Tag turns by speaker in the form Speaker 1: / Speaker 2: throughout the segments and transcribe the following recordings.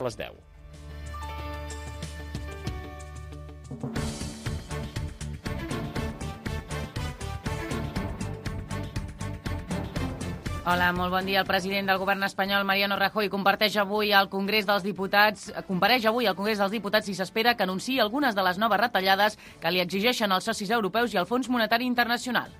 Speaker 1: les 10.
Speaker 2: Hola, molt bon dia. El president del govern espanyol, Mariano Rajoy, compareix avui al Congrés dels Diputats i s'espera que anunciï algunes de les noves retallades que li exigeixen els socis europeus i el Fons Monetari Internacional.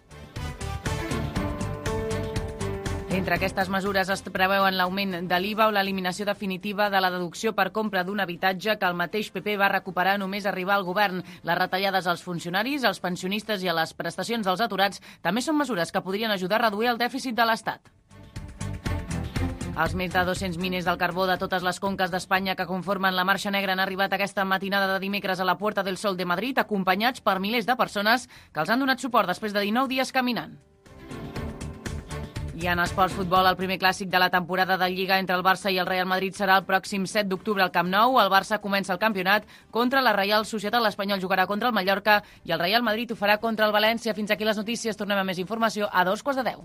Speaker 2: Entre aquestes mesures es preveuen l'augment de l'IVA o l'eliminació definitiva de la deducció per compra d'un habitatge que el mateix PP va recuperar només arribar al govern. Les retallades als funcionaris, als pensionistes i a les prestacions dels aturats també són mesures que podrien ajudar a reduir el dèficit de l'Estat. Els més de 200 miners del carbó de totes les conques d'Espanya que conformen la Marxa Negra han arribat aquesta matinada de dimecres a la Puerta del Sol de Madrid, acompanyats per milers de persones que els han donat suport després de 19 dies caminant. I en esports futbol, el primer clàssic de la temporada de Lliga entre el Barça i el Real Madrid serà el pròxim 7 d'octubre al Camp Nou. El Barça comença el campionat contra la Reial Societat, l'Espanyol jugarà contra el Mallorca i el Real Madrid ho farà contra el València. Fins aquí les notícies, tornem a més informació a 2:15.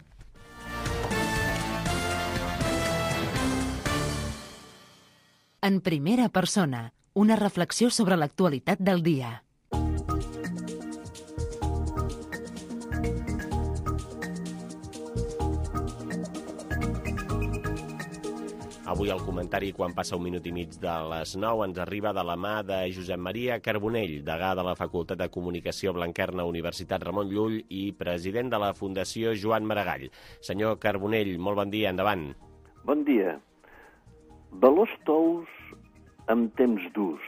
Speaker 3: En primera persona, una reflexió sobre l'actualitat del dia.
Speaker 1: Avui el comentari, quan passa un minut i mig de les 9, ens arriba de la mà de Josep Maria Carbonell, degà de la Facultat de Comunicació Blanquerna, Universitat Ramon Llull i president de la Fundació Joan Maragall. Senyor Carbonell, molt bon dia, endavant.
Speaker 4: Bon dia. Valors tous en temps durs.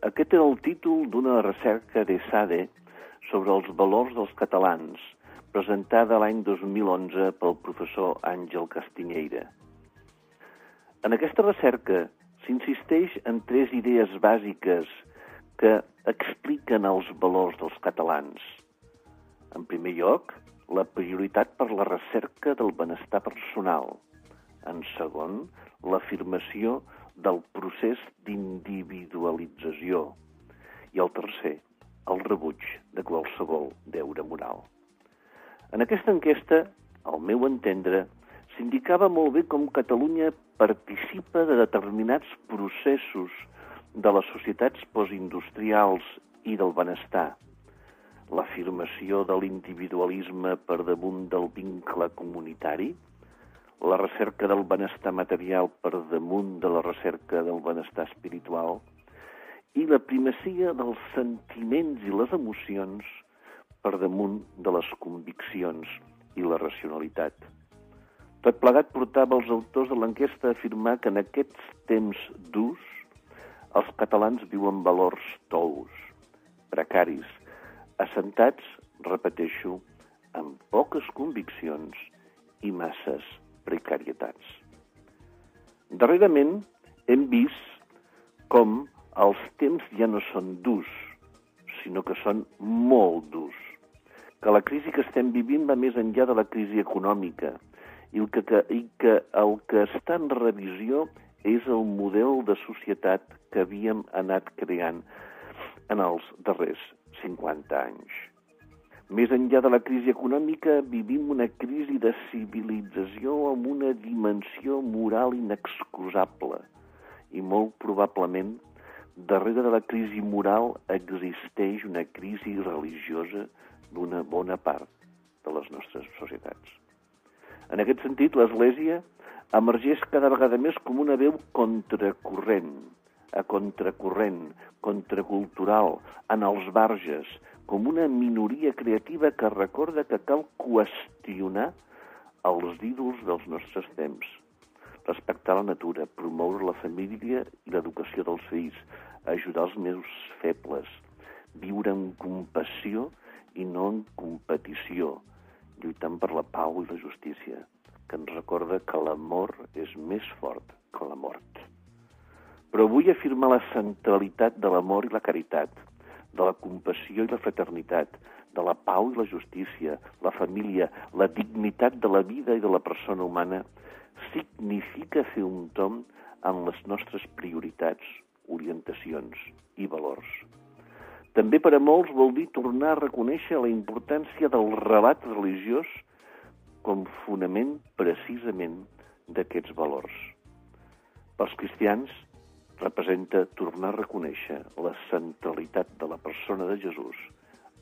Speaker 4: Aquest era el títol d'una recerca d'ESADE sobre els valors dels catalans, presentada l'any 2011 pel professor Àngel Castiñeira. En aquesta recerca s'insisteix en 3 idees bàsiques que expliquen els valors dels catalans. En primer lloc, la prioritat per la recerca del benestar personal. En segon, l'afirmació del procés d'individualització. I el tercer, el rebuig de qualsevol deure moral. En aquesta enquesta, al meu entendre, s'indicava molt bé com Catalunya participa de determinats processos de les societats postindustrials i del benestar. L'afirmació de l'individualisme per damunt del vincle comunitari, la recerca del benestar material per damunt de la recerca del benestar espiritual i la primacia dels sentiments i les emocions per damunt de les conviccions i la racionalitat. Tot plegat portava els autors de l'enquesta a afirmar que en aquests temps durs els catalans viuen valors tous, precaris, assentats, repeteixo, amb poques conviccions i masses precarietats. Darrerament hem vist com els temps ja no són durs, sinó que són molt durs, que la crisi que estem vivint va més enllà de la crisi econòmica i que el que està en revisió és el model de societat que havíem anat creant en els darrers 50 anys. Més enllà de la crisi econòmica, vivim una crisi de civilització amb una dimensió moral inexcusable i molt probablement darrere de la crisi moral existeix una crisi religiosa d'una bona part de les nostres societats. En aquest sentit, l'Església emergeix cada vegada més com una veu contracorrent, contracultural, en els marges, com una minoria creativa que recorda que cal qüestionar els ídols dels nostres temps, respectar la natura, promoure la família i l'educació dels fills, ajudar els més febles, viure en compassió i no en competició, lluitant per la pau i la justícia, que ens recorda que l'amor és més fort que la mort. Però vull afirmar la centralitat de l'amor i la caritat, de la compassió i la fraternitat, de la pau i la justícia, la família, la dignitat de la vida i de la persona humana, significa fer un tomb en les nostres prioritats, orientacions i valors. També per a molts vol dir tornar a reconèixer la importància del relat religiós com fonament precisament d'aquests valors. Pels cristians, representa tornar a reconèixer la centralitat de la persona de Jesús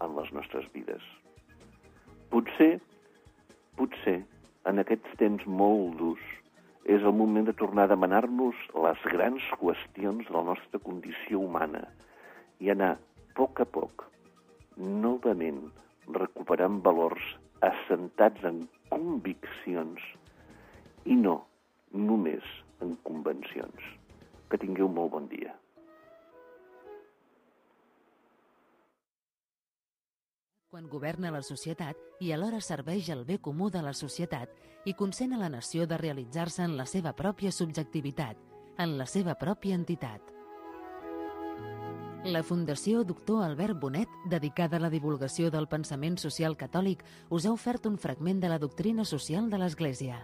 Speaker 4: en les nostres vides. Potser, en aquests temps molt durs, és el moment de tornar a demanar-nos les grans qüestions de la nostra condició humana i anar, a poc, novament recuperant valors assentats en conviccions i no només en convencions. Que tingueu molt bon dia.
Speaker 3: Quan governa la societat i alhora serveix el bé comú de la societat i consent a la nació de realitzar-se en la seva pròpia subjectivitat, en la seva pròpia entitat. La Fundació Doctor Albert Bonet, dedicada a la divulgació del pensament social catòlic, us ha ofert un fragment de la doctrina social de l'Església.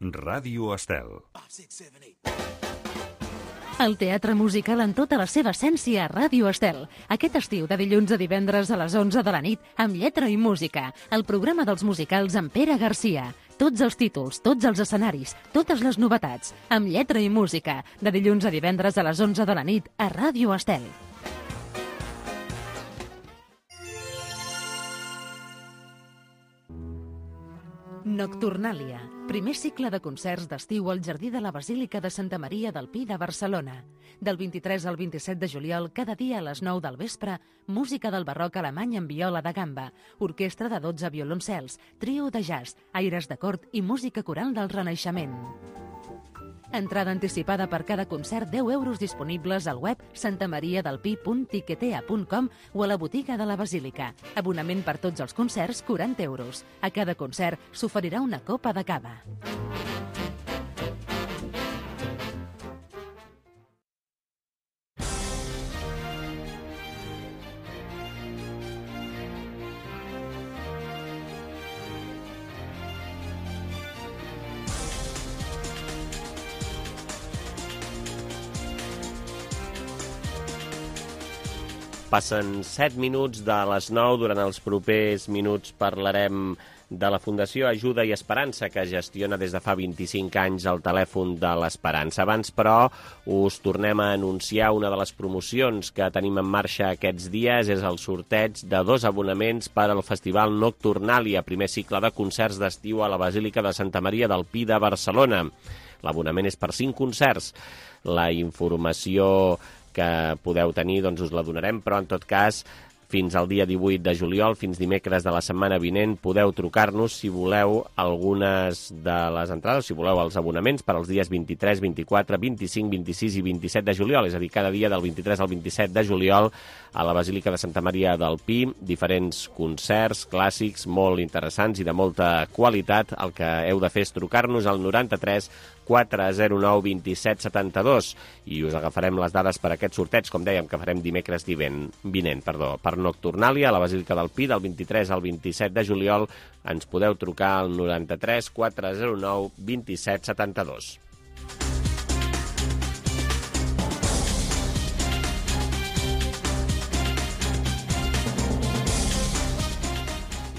Speaker 5: Ràdio Estel.
Speaker 3: El teatre musical en tota la seva essència a Ràdio Estel. Aquest estiu, de dilluns a divendres a les 11 de la nit, amb lletra i música. El programa dels musicals amb Pere Garcia. Tots els títols, tots els escenaris, totes les novetats. Amb lletra i música. De dilluns a divendres a les 11 de la nit a Ràdio Estel. Nocturnàlia, primer cicle de concerts d'estiu al Jardí de la Basílica de Santa Maria del Pi de Barcelona. Del 23 al 27 de juliol, cada dia a les 9 del vespre, música del barroc alemany amb viola de gamba, orquestra de 12 violoncels, trio de jazz, aires de cort i música coral del Renaixement. Entrada anticipada per cada concert, 10 euros disponibles al web santamariadelpi.tiquetea.com o a la botiga de la Basílica. Abonament per tots els concerts, 40 euros. A cada concert s'oferirà una copa de cava.
Speaker 1: Passen 7 minuts de les 9. Durant els propers minuts parlarem de la Fundació Ajuda i Esperança, que gestiona des de fa 25 anys el telèfon de l'Esperança. Abans, però, us tornem a anunciar una de les promocions que tenim en marxa aquests dies. És el sorteig de 2 abonaments per al Festival Nocturnàlia, primer cicle de concerts d'estiu a la Basílica de Santa Maria del Pi de Barcelona. L'abonament és per 5 concerts. La informació que podeu tenir, doncs us la donarem, però en tot cas, fins al dia 18 de juliol, fins dimecres de la setmana vinent, podeu trucar-nos si voleu algunes de les entrades, si voleu els abonaments per als dies 23, 24, 25, 26 i 27 de juliol, és a dir, cada dia del 23 al 27 de juliol a la Basílica de Santa Maria del Pi, diferents concerts clàssics molt interessants i de molta qualitat. El que heu de fer és trucar-nos al 93 409 27 72 i us agafarem les dades per aquest sorteig, com dèiem, que farem dimecres vinent, per Nocturnàlia a la Basílica del Pi, del 23 al 27 de juliol. Ens podeu trucar al 93 409 27 72.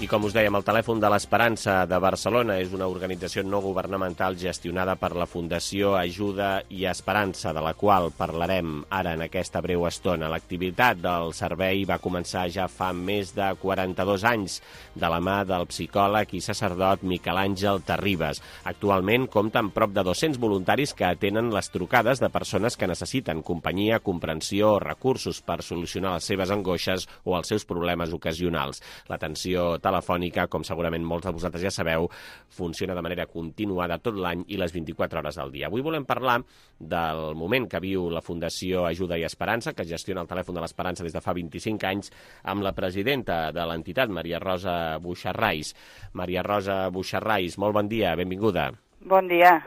Speaker 1: I com us dèiem, el Telèfon de l'Esperança de Barcelona és una organització no governamental gestionada per la Fundació Ajuda i Esperança, de la qual parlarem ara en aquesta breu estona. L'activitat del servei va començar ja fa més de 42 anys, de la mà del psicòleg i sacerdot Miquel Àngel Terribas. Actualment compta amb prop de 200 voluntaris que atenen les trucades de persones que necessiten companyia, comprensió o recursos per solucionar les seves angoixes o els seus problemes ocasionals. L'atenció telefònica, com segurament molts de vosaltres ja sabeu, funciona de manera continuada tot l'any i les 24 hores del dia. Avui volem parlar del moment que viu la Fundació Ajuda i Esperança, que gestiona el Telèfon de l'Esperança des de fa 25 anys, amb la presidenta de l'entitat, Maria Rosa Buixarrais. Maria Rosa Buixarrais, molt bon dia, benvinguda.
Speaker 6: Bon dia.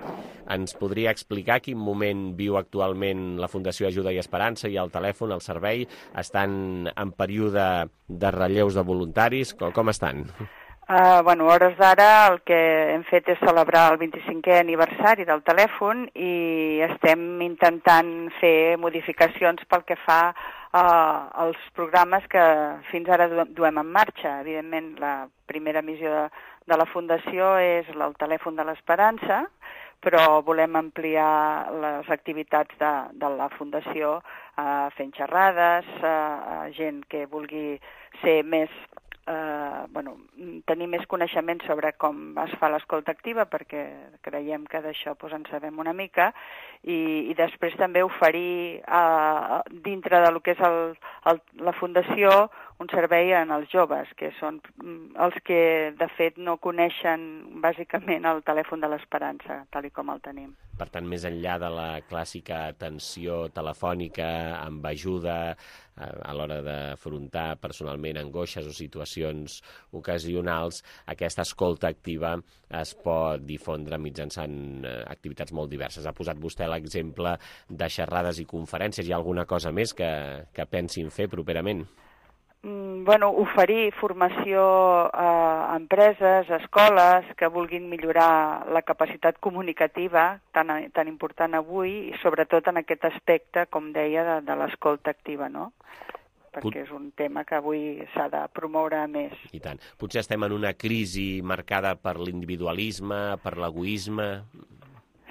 Speaker 1: Ens podria explicar quin moment viu actualment la Fundació Ajuda i Esperança i el telèfon, el servei? Estan en període de relleus de voluntaris? Com estan?
Speaker 6: A hores d'ara el que hem fet és celebrar el 25è aniversari del telèfon i estem intentant fer modificacions pel que fa als programes que fins ara duem en marxa. Evidentment, la primera missió de la Fundació és el telèfon de l'Esperança, però volem ampliar les activitats de la Fundació fent xerrades, gent que vulgui ser més tenir més coneixement sobre com es fa l'escolta activa, perquè creiem que d'això en sabem una mica, i després també oferir dintre del que és la Fundació un servei en els joves, que són els que de fet no coneixen bàsicament el telèfon de l'Esperança, tal com el tenim.
Speaker 1: Per tant, més enllà de la clàssica atenció telefònica amb ajuda a l'hora d'afrontar personalment angoixes o situacions ocasionals, aquesta escolta activa es pot difondre mitjançant activitats molt diverses. Ha posat vostè l'exemple de xerrades i conferències. Hi ha alguna cosa més que pensin fer properament?
Speaker 6: Oferir formació a empreses, a escoles que vulguin millorar la capacitat comunicativa, tan important avui, i sobretot en aquest aspecte, com deia, de l'escolta activa, no? Perquè és un tema que avui s'ha de promoure més.
Speaker 1: I tant. Potser estem en una crisi marcada per l'individualisme, per l'egoisme.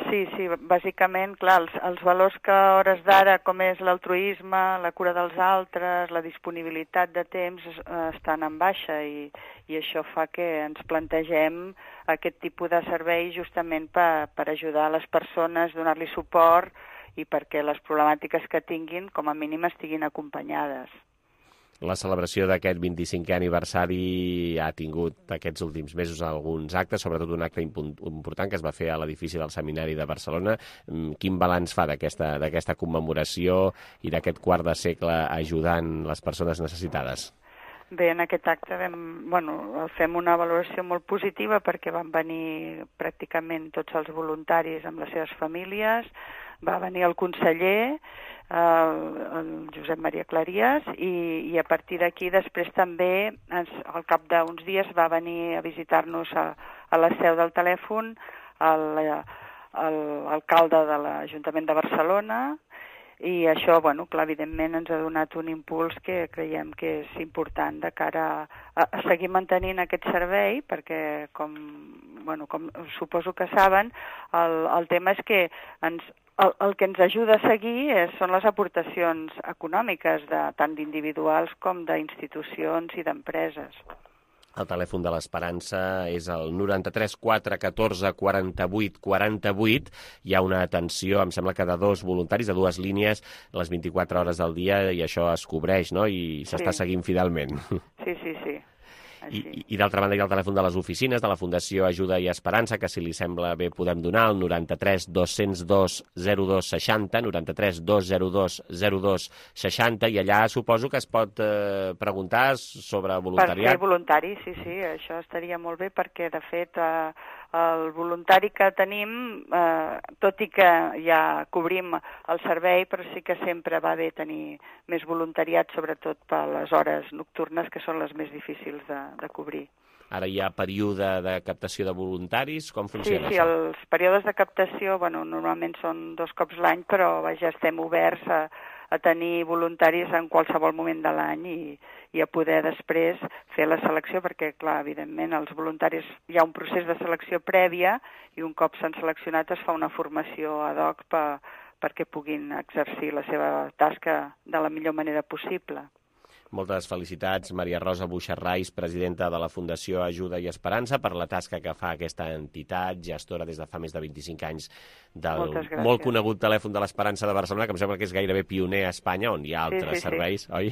Speaker 6: Sí, bàsicament, clar, els valors que a hores d'ara, com és l'altruisme, la cura dels altres, la disponibilitat de temps, estan en baixa i això fa que ens plantegem aquest tipus de servei justament per ajudar les persones, donar-li suport i perquè les problemàtiques que tinguin, com a mínim, estiguin acompanyades.
Speaker 1: La celebració d'aquest 25è aniversari ha tingut aquests últims mesos alguns actes, sobretot un acte important que es va fer a l'edifici del Seminari de Barcelona. Quin balanç fa d'aquesta commemoració i d'aquest quart de segle ajudant les persones necessitades?
Speaker 6: Bé, en aquest acte fem una valoració molt positiva perquè van venir pràcticament tots els voluntaris amb les seves famílies, va venir el conseller, el Josep Maria Clarias, i a partir d'aquí després també, al cap d'uns dies, va venir a visitar-nos a la seu del telèfon l'alcalde de l'Ajuntament de Barcelona, i això, clar, evidentment ens ha donat un impuls que creiem que és important de cara a seguir mantenint aquest servei, perquè, com suposo que saben, el tema és que el que ens ajuda a seguir són les aportacions econòmiques tant d'individuals com d'institucions i d'empreses.
Speaker 1: El telèfon de l'Esperança és el 93 414 48 48. Hi ha una atenció, em sembla que de 2 voluntaris, de 2 línies, les 24 hores del dia, i això es cobreix, no? I s'està seguint fidelment.
Speaker 6: Sí.
Speaker 1: I d'altra banda hi ha el telèfon de les oficines de la Fundació Ajuda i Esperança, que si li sembla bé podem donar, el 93 202 02 60, 93 202 02 60, i allà suposo que es pot preguntar sobre voluntariat.
Speaker 6: Per ser voluntari, sí, això estaria molt bé, perquè de fet el voluntari que tenim, tot i que ja cobrim el servei, però sí que sempre va bé tenir més voluntariat, sobretot per les hores nocturnes, que són les més difícils de cobrir.
Speaker 1: Ara hi ha període de captació de voluntaris, com funciona
Speaker 6: això? Sí, els períodes de captació, normalment són 2 cops l'any, però ja estem oberts a tenir voluntaris en qualsevol moment de l'any i a poder després fer la selecció, perquè, clar, evidentment, els voluntaris hi ha un procés de selecció prèvia i un cop s'han seleccionat es fa una formació ad hoc perquè puguin exercir la seva tasca de la millor manera possible.
Speaker 1: Moltes felicitats, Maria Rosa Buixarrais, presidenta de la Fundació Ajuda i Esperança, per la tasca que fa aquesta entitat, gestora des de fa més de 25 anys del molt conegut telèfon de l'Esperança de Barcelona, que em sembla que és gairebé pioner a Espanya, on hi ha altres serveis, oi?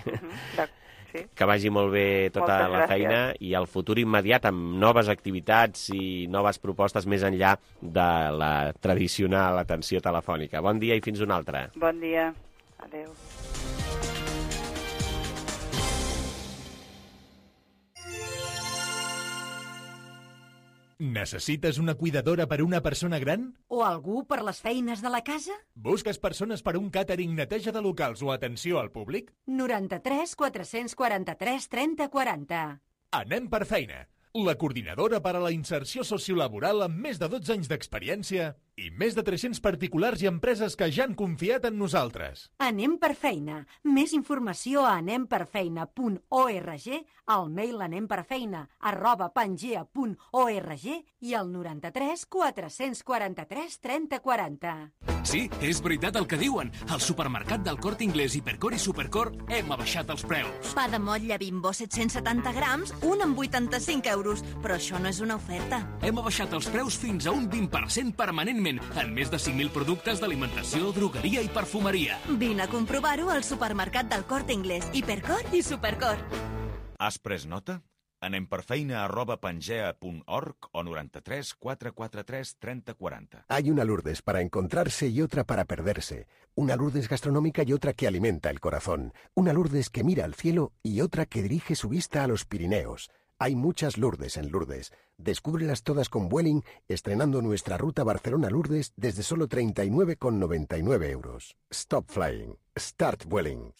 Speaker 1: Sí. Que vagi molt bé tota la feina i el futur immediat amb noves activitats i noves propostes més enllà de la tradicional atenció telefònica. Bon dia i fins una altra.
Speaker 6: Bon dia. Adéu.
Speaker 5: Necessites una cuidadora per a una persona gran?
Speaker 7: O algú per les feines de la casa?
Speaker 5: Busques persones per a un càtering, neteja de locals o atenció al públic?
Speaker 7: 93 443 30 40.
Speaker 5: Anem per feina. la coordinadora per a la inserció sociolaboral amb més de 12 anys d'experiència i més de 300 particulars i empreses que ja han confiat en nosaltres.
Speaker 7: Anem per feina. Més informació a anemperfeina.org, al mail anemperfeina@pangea.org i al 93 443 30 40.
Speaker 8: Sí, és veritat el que diuen. Al supermercat del Corte Inglés, Hipercor i Supercor hem abaixat els preus.
Speaker 9: Pa de motlla Bimbo 770 grams, un amb 85 euros. Però això no és una oferta.
Speaker 8: Hem abaixat els preus fins a un 20% permanentment en més de 5.000 productes d'alimentació, drogueria i perfumeria.
Speaker 9: Vine a comprovar-ho al supermercat del Corte Inglés, Hipercor i Supercor.
Speaker 10: Has pres nota? anemperfeina@pangea.org o 93 443 30 40.
Speaker 11: Hay una Lourdes para encontrarse y otra para perderse. Una Lourdes gastronómica y otra que alimenta el corazón. Una Lourdes que mira al cielo y otra que dirige su vista a los Pirineos. Hay muchas Lourdes en Lourdes. Descúbrelas todas con Vueling, estrenando nuestra ruta Barcelona-Lourdes desde solo 39,99 euros. Stop flying. Start Vueling.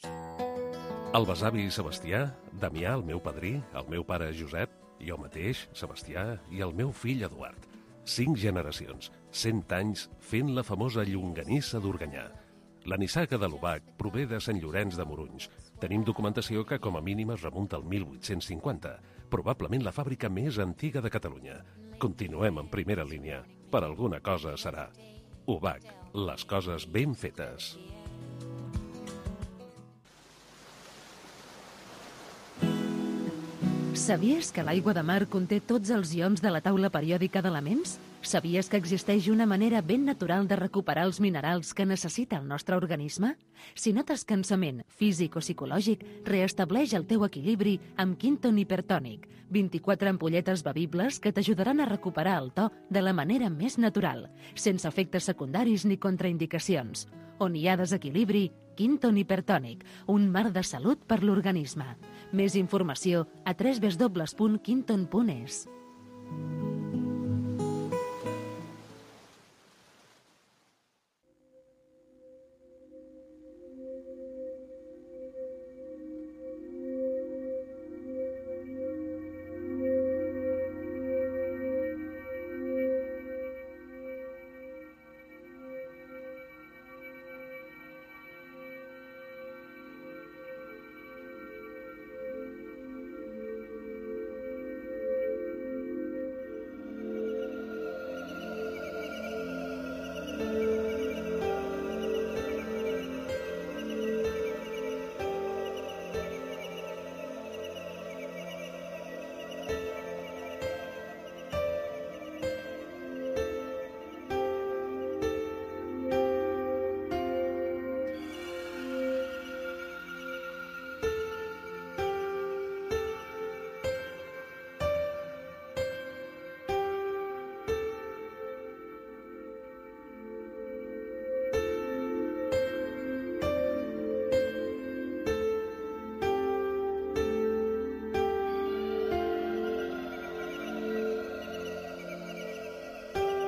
Speaker 12: El besavi Sebastià, Damià, el meu padrí, el meu pare Josep, jo mateix, Sebastià, i el meu fill Eduard. 5 generacions, 100 anys fent la famosa llonganissa d'Organyà. La nissaga de l'Ubac prové de Sant Llorenç de Morunys. Tenim documentació que com a mínim es remunta al 1850, probablement la fàbrica més antiga de Catalunya. Continuem en primera línia. Per alguna cosa serà. Ubac, les coses ben fetes.
Speaker 3: Sabies que l'aigua de mar conté tots els ions de la taula periòdica d'elements? Sabies que existeix una manera ben natural de recuperar els minerals que necessita el nostre organisme? Si notes cansament físic o psicològic, reestableix el teu equilibri amb Quinton Hipertònic. 24 ampolletes bevibles que t'ajudaran a recuperar el to de la manera més natural, sense efectes secundaris ni contraindicacions. On hi ha desequilibri, Quinton Hipertònic, un mar de salut per l'organisme. Més informació a www.quinton.es.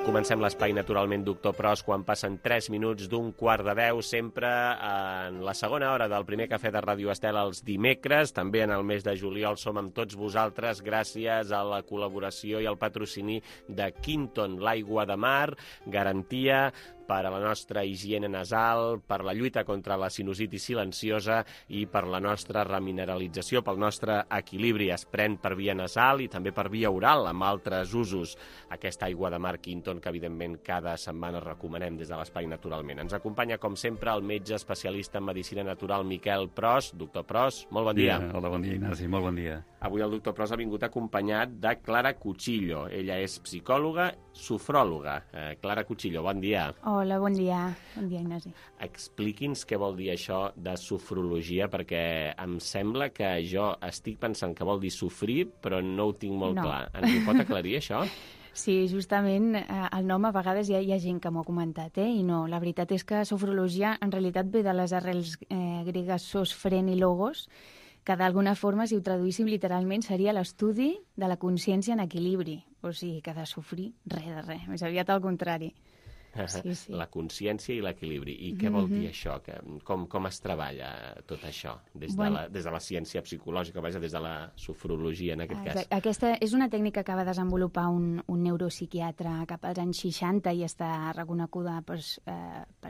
Speaker 1: Comencem l'espai, naturalment, Doctor Pros, quan passen 3 minuts d'un quart de 10, sempre en la segona hora del primer cafè de Ràdio Estel els dimecres. També en el mes de juliol som amb tots vosaltres gràcies a la col·laboració i al patrocini de Quinton, l'aigua de mar, garantia per a la nostra higiene nasal, per la lluita contra la sinusitis silenciosa i per la nostra remineralització, pel nostre equilibri. Es pren per via nasal i també per via oral, amb altres usos. Aquesta aigua de mar Quinton, que evidentment cada setmana recomanem des de l'Espai Naturalment. Ens acompanya, com sempre, el metge especialista en medicina natural Miquel Pros. Doctor Pros, molt bon dia.
Speaker 13: Hola, bon dia, Ignasi, molt bon dia.
Speaker 1: Avui el doctor Pros ha vingut acompanyat de Clara Cuchillo. Ella és psicòloga, sofròloga. Clara Cuchillo, bon dia.
Speaker 14: Hola, bon dia. Bon dia, Ignasi.
Speaker 1: Expliqui'ns què vol dir això de sofrologia, perquè em sembla que jo estic pensant que vol dir sofrir, però no ho tinc molt clar. Ens ho pot aclarir, això?
Speaker 14: Sí, justament el nom a vegades hi ha gent que m'ho ha comentat, i no, la veritat és que sofrologia en realitat ve de les arrels gregues sosfren i logos, que d'alguna forma, si ho traduíssim literalment, seria l'estudi de la consciència en equilibri. O sigui, que de sofrir, res de res, més aviat al contrari.
Speaker 1: La consciència i l'equilibri. I què vol dir això? Com es treballa tot això des de la ciència psicològica, des de la sofrologia, en aquest cas?
Speaker 14: Aquesta és una tècnica que va desenvolupar un neuropsiquiatre cap als anys 60 i està reconeguda per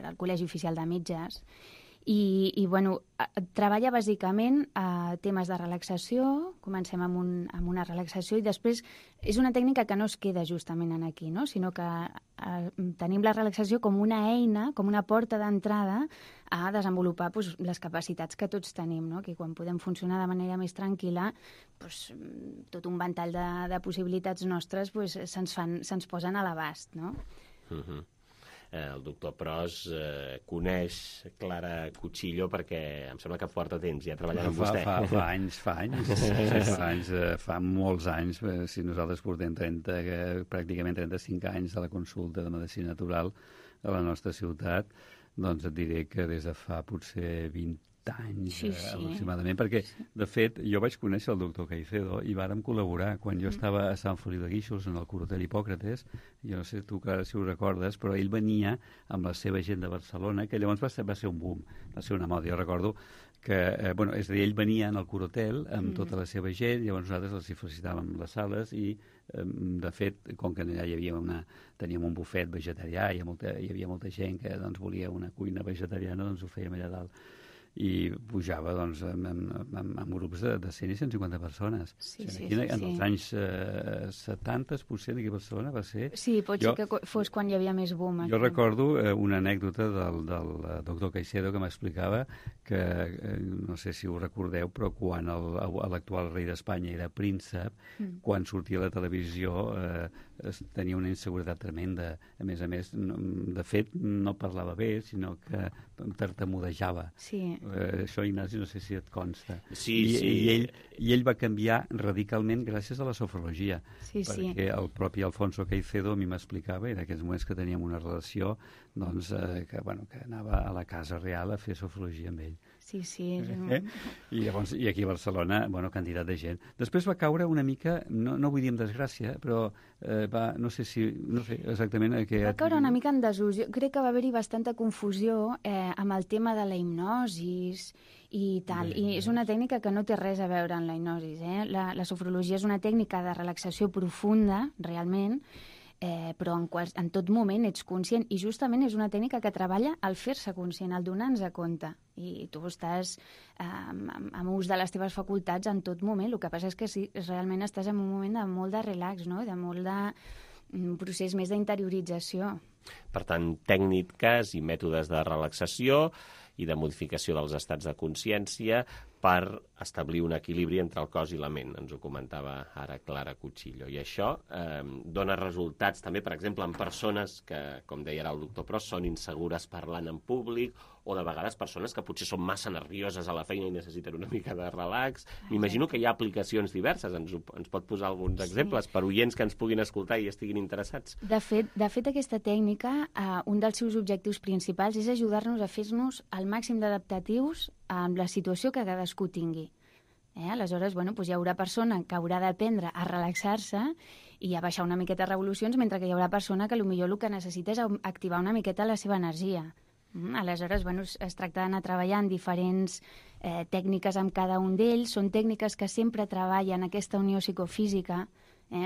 Speaker 14: al Col·legi Oficial de Metges. I treballa bàsicament temes de relaxació, comencem amb una relaxació i després és una tècnica que no es queda justament aquí, no? Sinó que tenim la relaxació com una eina, com una porta d'entrada a desenvolupar les capacitats que tots tenim, no? Que quan podem funcionar de manera més tranquil·la, tot un ventall de possibilitats nostres se'ns posen a l'abast, no?
Speaker 1: El doctor Pros coneix Clara Cuchillo perquè em sembla que porta temps ja treballant amb vostè.
Speaker 13: Fa molts anys. Si nosaltres portem pràcticament 35 anys a la consulta de medicina natural a la nostra ciutat, doncs et diré que des de fa potser 20 anys aproximadament, perquè de fet jo vaig conèixer el doctor Caicedo i vàrem col·laborar quan jo estava a Sant Feliu de Guíxols en el Corotel Hipòcrates. Jo no sé tu si ho recordes, però ell venia amb la seva gent de Barcelona, que llavors va ser un boom, va ser una moda. Jo recordo que, és a dir, ell venia en el Corotel amb tota la seva gent, llavors nosaltres els hi felicitàvem les sales i de fet, com que allà teníem un bufet vegetarià, hi havia molta gent que volia una cuina vegetariana, doncs ho fèiem allà dalt. I pujava amb grups de 100 i 150 persones. En els anys 70, potser, aquí a Barcelona va ser...
Speaker 14: Sí, pot ser que fos quan hi havia més boom.
Speaker 13: Jo recordo una anècdota del doctor Caicedo que m'explicava que, no sé si ho recordeu, però quan l'actual rei d'Espanya era príncep, quan sortia a la televisió tenia una inseguretat tremenda. A més, de fet, no parlava bé, sinó que tartamudejava.
Speaker 14: Sí.
Speaker 13: Això, Ignasi, no sé si et consta. I ell va canviar radicalment gràcies a la sofrologia. Perquè el propi Alfonso Caicedo a mi m'explicava, en aquells moments que teníem una relació, que anava a la Casa Real a fer sofrologia amb ell.
Speaker 14: Sí.
Speaker 13: I aquí a Barcelona, quantitat de gent. Després va caure una mica, no vull dir en desgràcia, però no sé exactament...
Speaker 14: Va caure una mica en desús. Jo crec que va haver-hi bastanta confusió amb el tema de la hipnosis i tal. I és una tècnica que no té res a veure amb la hipnosis. La sofrologia és una tècnica de relaxació profunda, realment, però en tot moment ets conscient i justament és una tècnica que treballa al fer-se conscient, al donar-nos a compte i tu estàs amb ús de les teves facultats en tot moment. El que passa és que sí, realment estàs en un moment de molt de relax, no? De molt de procés més d'interiorització.
Speaker 1: Per tant, tècniques i mètodes de relaxació i de modificació dels estats de consciència per establir un equilibri entre el cos i la ment. Ens ho comentava ara Clara Cuchillo. I això dona resultats també, per exemple, en persones que, com deia ara el doctor Pros, són insegures parlant en públic o de vegades persones que potser són massa nervioses a la feina i necessiten una mica de relax. M'imagino que hi ha aplicacions diverses. Ens pot posar alguns exemples per oients que ens puguin escoltar i estiguin interessats?
Speaker 14: De fet, aquesta tècnica, un dels seus objectius principals és ajudar-nos a fer-nos el màxim d'adaptatius amb la situació que cadascú tingui. Aleshores, hi haurà persona que haurà d'aprendre a relaxar-se i a baixar una miqueta revolucions, mentre que hi haurà persona que potser el que necessita és activar una miqueta la seva energia. Aleshores, es tracta d'anar treballant diferents tècniques amb cada un d'ells. Són tècniques que sempre treballen aquesta unió psicofísica,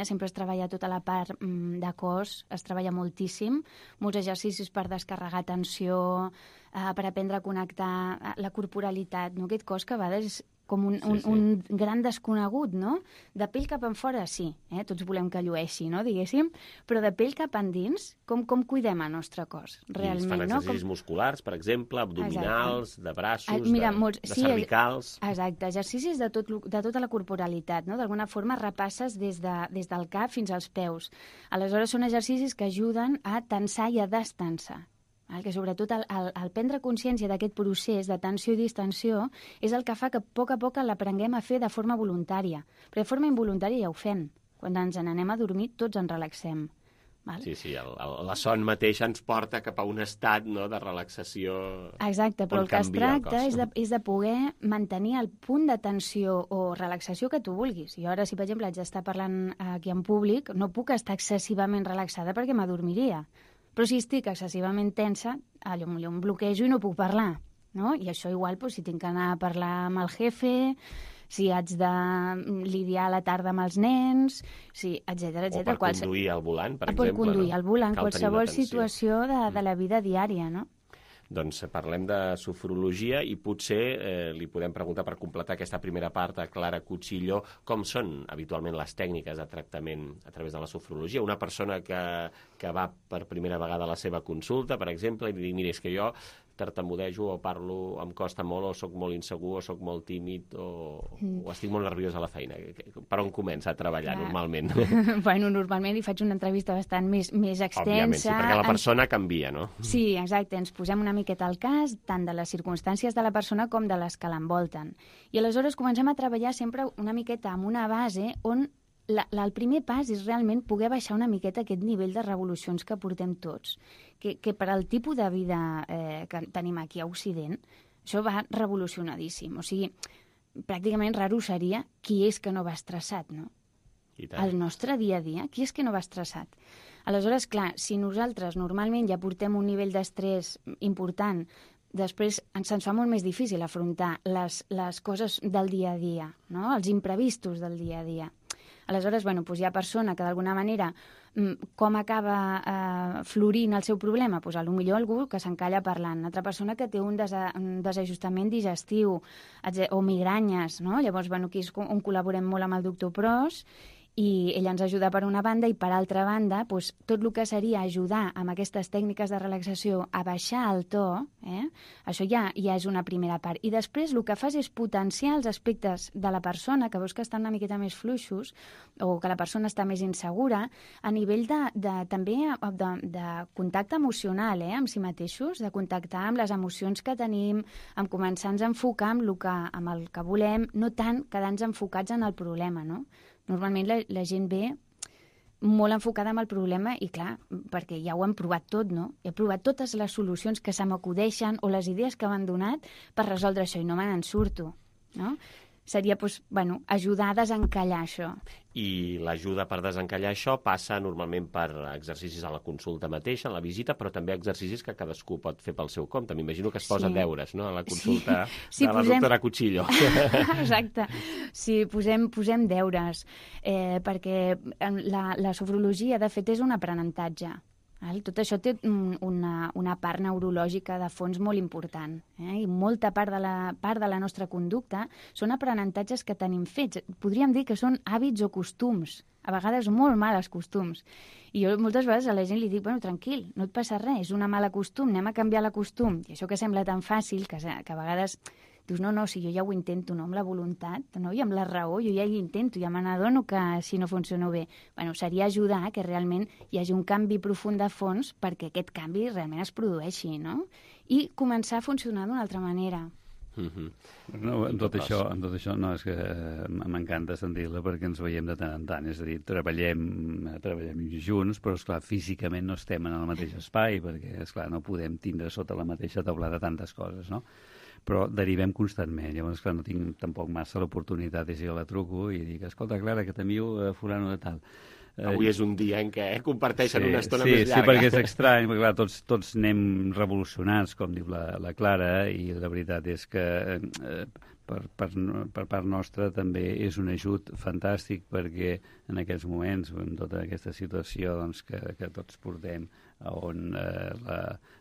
Speaker 14: sempre es treballa tota la part de cos, es treballa moltíssim, molts exercicis per descarregar tensió, per aprendre a connectar la corporalitat, no? Aquest cos que a vegades és com un gran desconegut, no? De pell cap en fora, sí, tots volem que llueixi, no? Diguéssim, però de pell cap endins, com cuidem el nostre cos, realment, no?
Speaker 1: I es fan exercicis musculars, per exemple, abdominals, de braços, de cervicals...
Speaker 14: Exacte, exercicis de tota la corporalitat, no? D'alguna forma repasses des del cap fins als peus. Aleshores són exercicis que ajuden a tensar i a destensar. Que sobretot el prendre consciència d'aquest procés de tensió i distensió és el que fa que a poc l'aprenguem a fer de forma voluntària. Però de forma involuntària ja ho fem. Quan ens n'anem a dormir, tots ens relaxem.
Speaker 1: Sí, la son mateixa ens porta cap a un estat de relaxació.
Speaker 14: Exacte, però el que es tracta és de poder mantenir el punt de tensió o relaxació que tu vulguis. Jo ara, si per exemple haig d'estar parlant aquí en públic, no puc estar excessivament relaxada perquè m'adormiria. Però si estic excessivament tensa, potser em bloquejo i no puc parlar, no? I això igual, si tinc que anar a parlar amb el jefe, si haig de lidiar a la tarda amb els nens, etcètera.
Speaker 1: O per conduir al volant, per exemple.
Speaker 14: Per conduir al volant, qualsevol situació de la vida diària, no?
Speaker 1: Doncs parlem de sofrologia i potser li podem preguntar per completar aquesta primera part a Clara Cuchillo com són habitualment les tècniques de tractament a través de la sofrologia. Una persona que va per primera vegada a la seva consulta, per exemple, i li diu, mira, és que jo tartamudejo o parlo, em costa molt, o sóc molt insegur, o sóc molt tímid, o estic molt nerviós a la feina. Per on comença a treballar normalment?
Speaker 14: Bueno, normalment hi faig una entrevista bastant més extensa.
Speaker 1: Òbviament, sí, perquè la persona canvia, no?
Speaker 14: Sí, exacte, ens posem una miqueta al cas, tant de les circumstàncies de la persona com de les que l'envolten. I aleshores comencem a treballar sempre una miqueta amb una base on el primer pas és realment poder baixar una miqueta aquest nivell de revolucions que portem tots, que per al tipus de vida que tenim aquí a Occident, això va revolucionadíssim. O sigui, pràcticament raro seria qui és que no va estressat, no? El nostre dia a dia, qui és que no va estressat? Aleshores, clar, si nosaltres normalment ja portem un nivell d'estrès important, després se'ns fa molt més difícil afrontar les coses del dia a dia, no? Els imprevistos del dia a dia. Aleshores, hi ha persona que d'alguna manera com acaba florint el seu problema? Potser algú que s'encalla parlant, altra persona que té un desajustament digestiu o migranyes, no? Llavors, aquí és on col·laborem molt amb el doctor Pros, i ell ens ajuda per una banda i per altra banda tot el que seria ajudar amb aquestes tècniques de relaxació a baixar el to, això ja és una primera part. I després el que fas és potenciar els aspectes de la persona que veus que estan una miqueta més fluixos o que la persona està més insegura a nivell també de contacte emocional amb si mateixos, de contactar amb les emocions que tenim, amb començar a enfocar amb el que volem, no tant quedar-nos enfocats en el problema, no? Normalment la gent ve molt enfocada amb el problema i, clar, perquè ja ho hem provat tot, no? He provat totes les solucions que se m'acudeixen o les idees que m'han donat per resoldre això i no me n'en surto, no? Seria, ajudar a desencallar això.
Speaker 1: I l'ajuda per desencallar això passa normalment per exercicis a la consulta mateixa, a la visita, però també exercicis que cadascú pot fer pel seu compte. M'imagino que es posen deures, no?, a la consulta de la doctora Cuchillo.
Speaker 14: Exacte. Sí, posem deures, perquè la sofrologia, de fet, és un aprenentatge. Tot això té una part neurològica de fons molt important, i molta part de la nostra conducta són aprenentatges que tenim fets. Podríem dir que són hàbits o costums, a vegades molt males costums. I jo moltes vegades a la gent li dic, tranquil, no et passa res, és una mala costum, anem a canviar la costum. I això que sembla tan fàcil, que a vegades dius, no, si jo ja ho intento, no, amb la voluntat, no, i amb la raó, jo ja hi intento, ja me n'adono que si no funciona bé. Seria ajudar que realment hi hagi un canvi profund de fons perquè aquest canvi realment es produeixi, no? I començar a funcionar d'una altra manera.
Speaker 13: No, en tot això no, és que m'encanta sentir-la perquè ens veiem de tant en tant, és a dir, treballem junts, però esclar, físicament no estem en el mateix espai perquè, esclar, no podem tindre sota la mateixa taulada tantes coses, no? Però derivem constantment. Llavors, clar, no tinc tampoc massa l'oportunitat de si jo la truco i dic, escolta, Clara, que t'envio fulano de tal.
Speaker 1: Avui és un dia en què comparteixen una estona més llarga.
Speaker 13: Sí, perquè és estrany, perquè clar, tots anem revolucionats, com diu la Clara, i la veritat és que per part nostra també és un ajut fantàstic perquè en aquests moments, amb tota aquesta situació que tots portem, on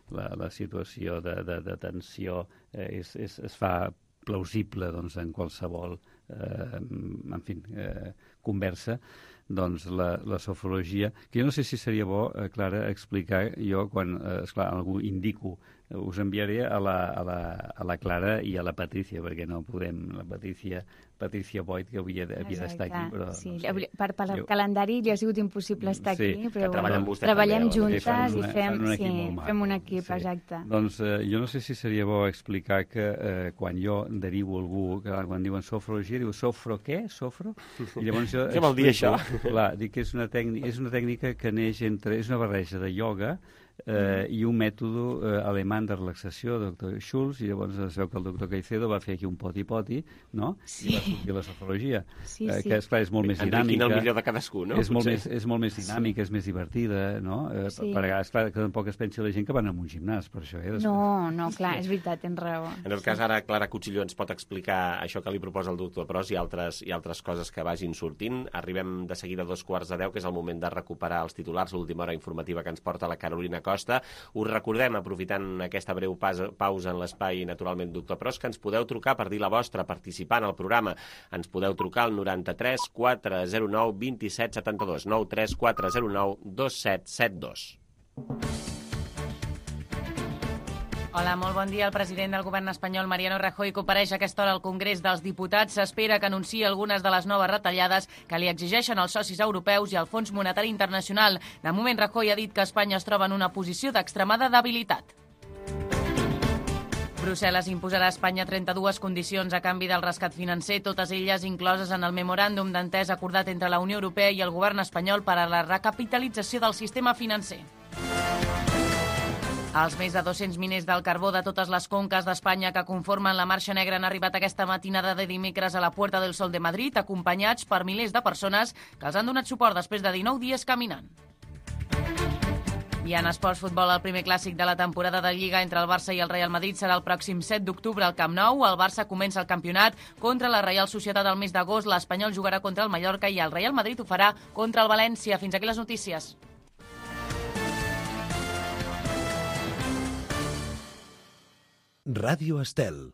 Speaker 13: la situació de tensió es fa plausible en qualsevol conversa, doncs la sofrologia, que jo no sé si seria bo, Clara, explicar jo quan, esclar, algú indico, us enviaré a la Clara i a la Patricia, perquè no podem, la Patricia Boyd, que havia d'estar aquí, però...
Speaker 14: Sí, no sé. Per el calendari ja ha sigut impossible estar aquí, però
Speaker 1: treballem
Speaker 14: juntes i fem un equip, exacte.
Speaker 13: Doncs jo no sé si seria bo explicar que quan jo derivo algú, que quan diuen sofrologia, diu sofro què? Sofro?
Speaker 1: I llavors què vol dir això?
Speaker 13: Clar, dic que és una tècnica que neix és una barreja de ioga, i un mètode alemany de relaxació, doctor Schulz, i llavors es veu que el doctor Caicedo va fer aquí un poti-poti, no? I va sortir la sofrologia, que esclar és molt més dinàmica.
Speaker 1: El millor de cadascú, no?
Speaker 13: És molt més dinàmica, és més divertida, no? Perquè, esclar, que tampoc es pensi la gent que van a un gimnàs, per això.
Speaker 14: No, clar, és veritat, tens raó.
Speaker 1: En tot cas, ara Clara Cuchillo ens pot explicar això que li proposa el doctor Pros i altres coses que vagin sortint. Arribem de seguida a 9:45, que és el moment de recuperar els titulars, l'última hora informativa que ens porta la Carolina Costa. Us recordem, aprofitant aquesta breu pausa en l'espai, naturalment, doctor Pros, que ens podeu trucar per dir la vostra, participar en el programa. Ens podeu trucar al 93 409 27 72, 93 409 2772.
Speaker 2: Hola, molt bon dia. El president del govern espanyol, Mariano Rajoy, compareix a aquesta hora al Congrés dels Diputats. S'espera que anunciï algunes de les noves retallades que li exigeixen els socis europeus i el Fons Monetari Internacional. De moment, Rajoy ha dit que Espanya es troba en una posició d'extremada debilitat. Brussel·les imposarà a Espanya 32 condicions a canvi del rescat financer, totes elles incloses en el memoràndum d'entesa acordat entre la Unió Europea i el govern espanyol per a la recapitalització del sistema financer. Els més de 200 miners del carbó de totes les conques d'Espanya que conformen la Marxa Negra han arribat aquesta matinada de dimecres a la Puerta del Sol de Madrid, acompanyats per milers de persones que els han donat suport després de 19 dies caminant. I en esports futbol, el primer clàssic de la temporada de Lliga entre el Barça i el Real Madrid serà el pròxim 7 d'octubre al Camp Nou. El Barça comença el campionat contra la Reial Societat el mes d'agost, l'Espanyol jugarà contra el Mallorca i el Real Madrid ho farà contra el València. Fins aquí les notícies.
Speaker 15: Ràdio Estel.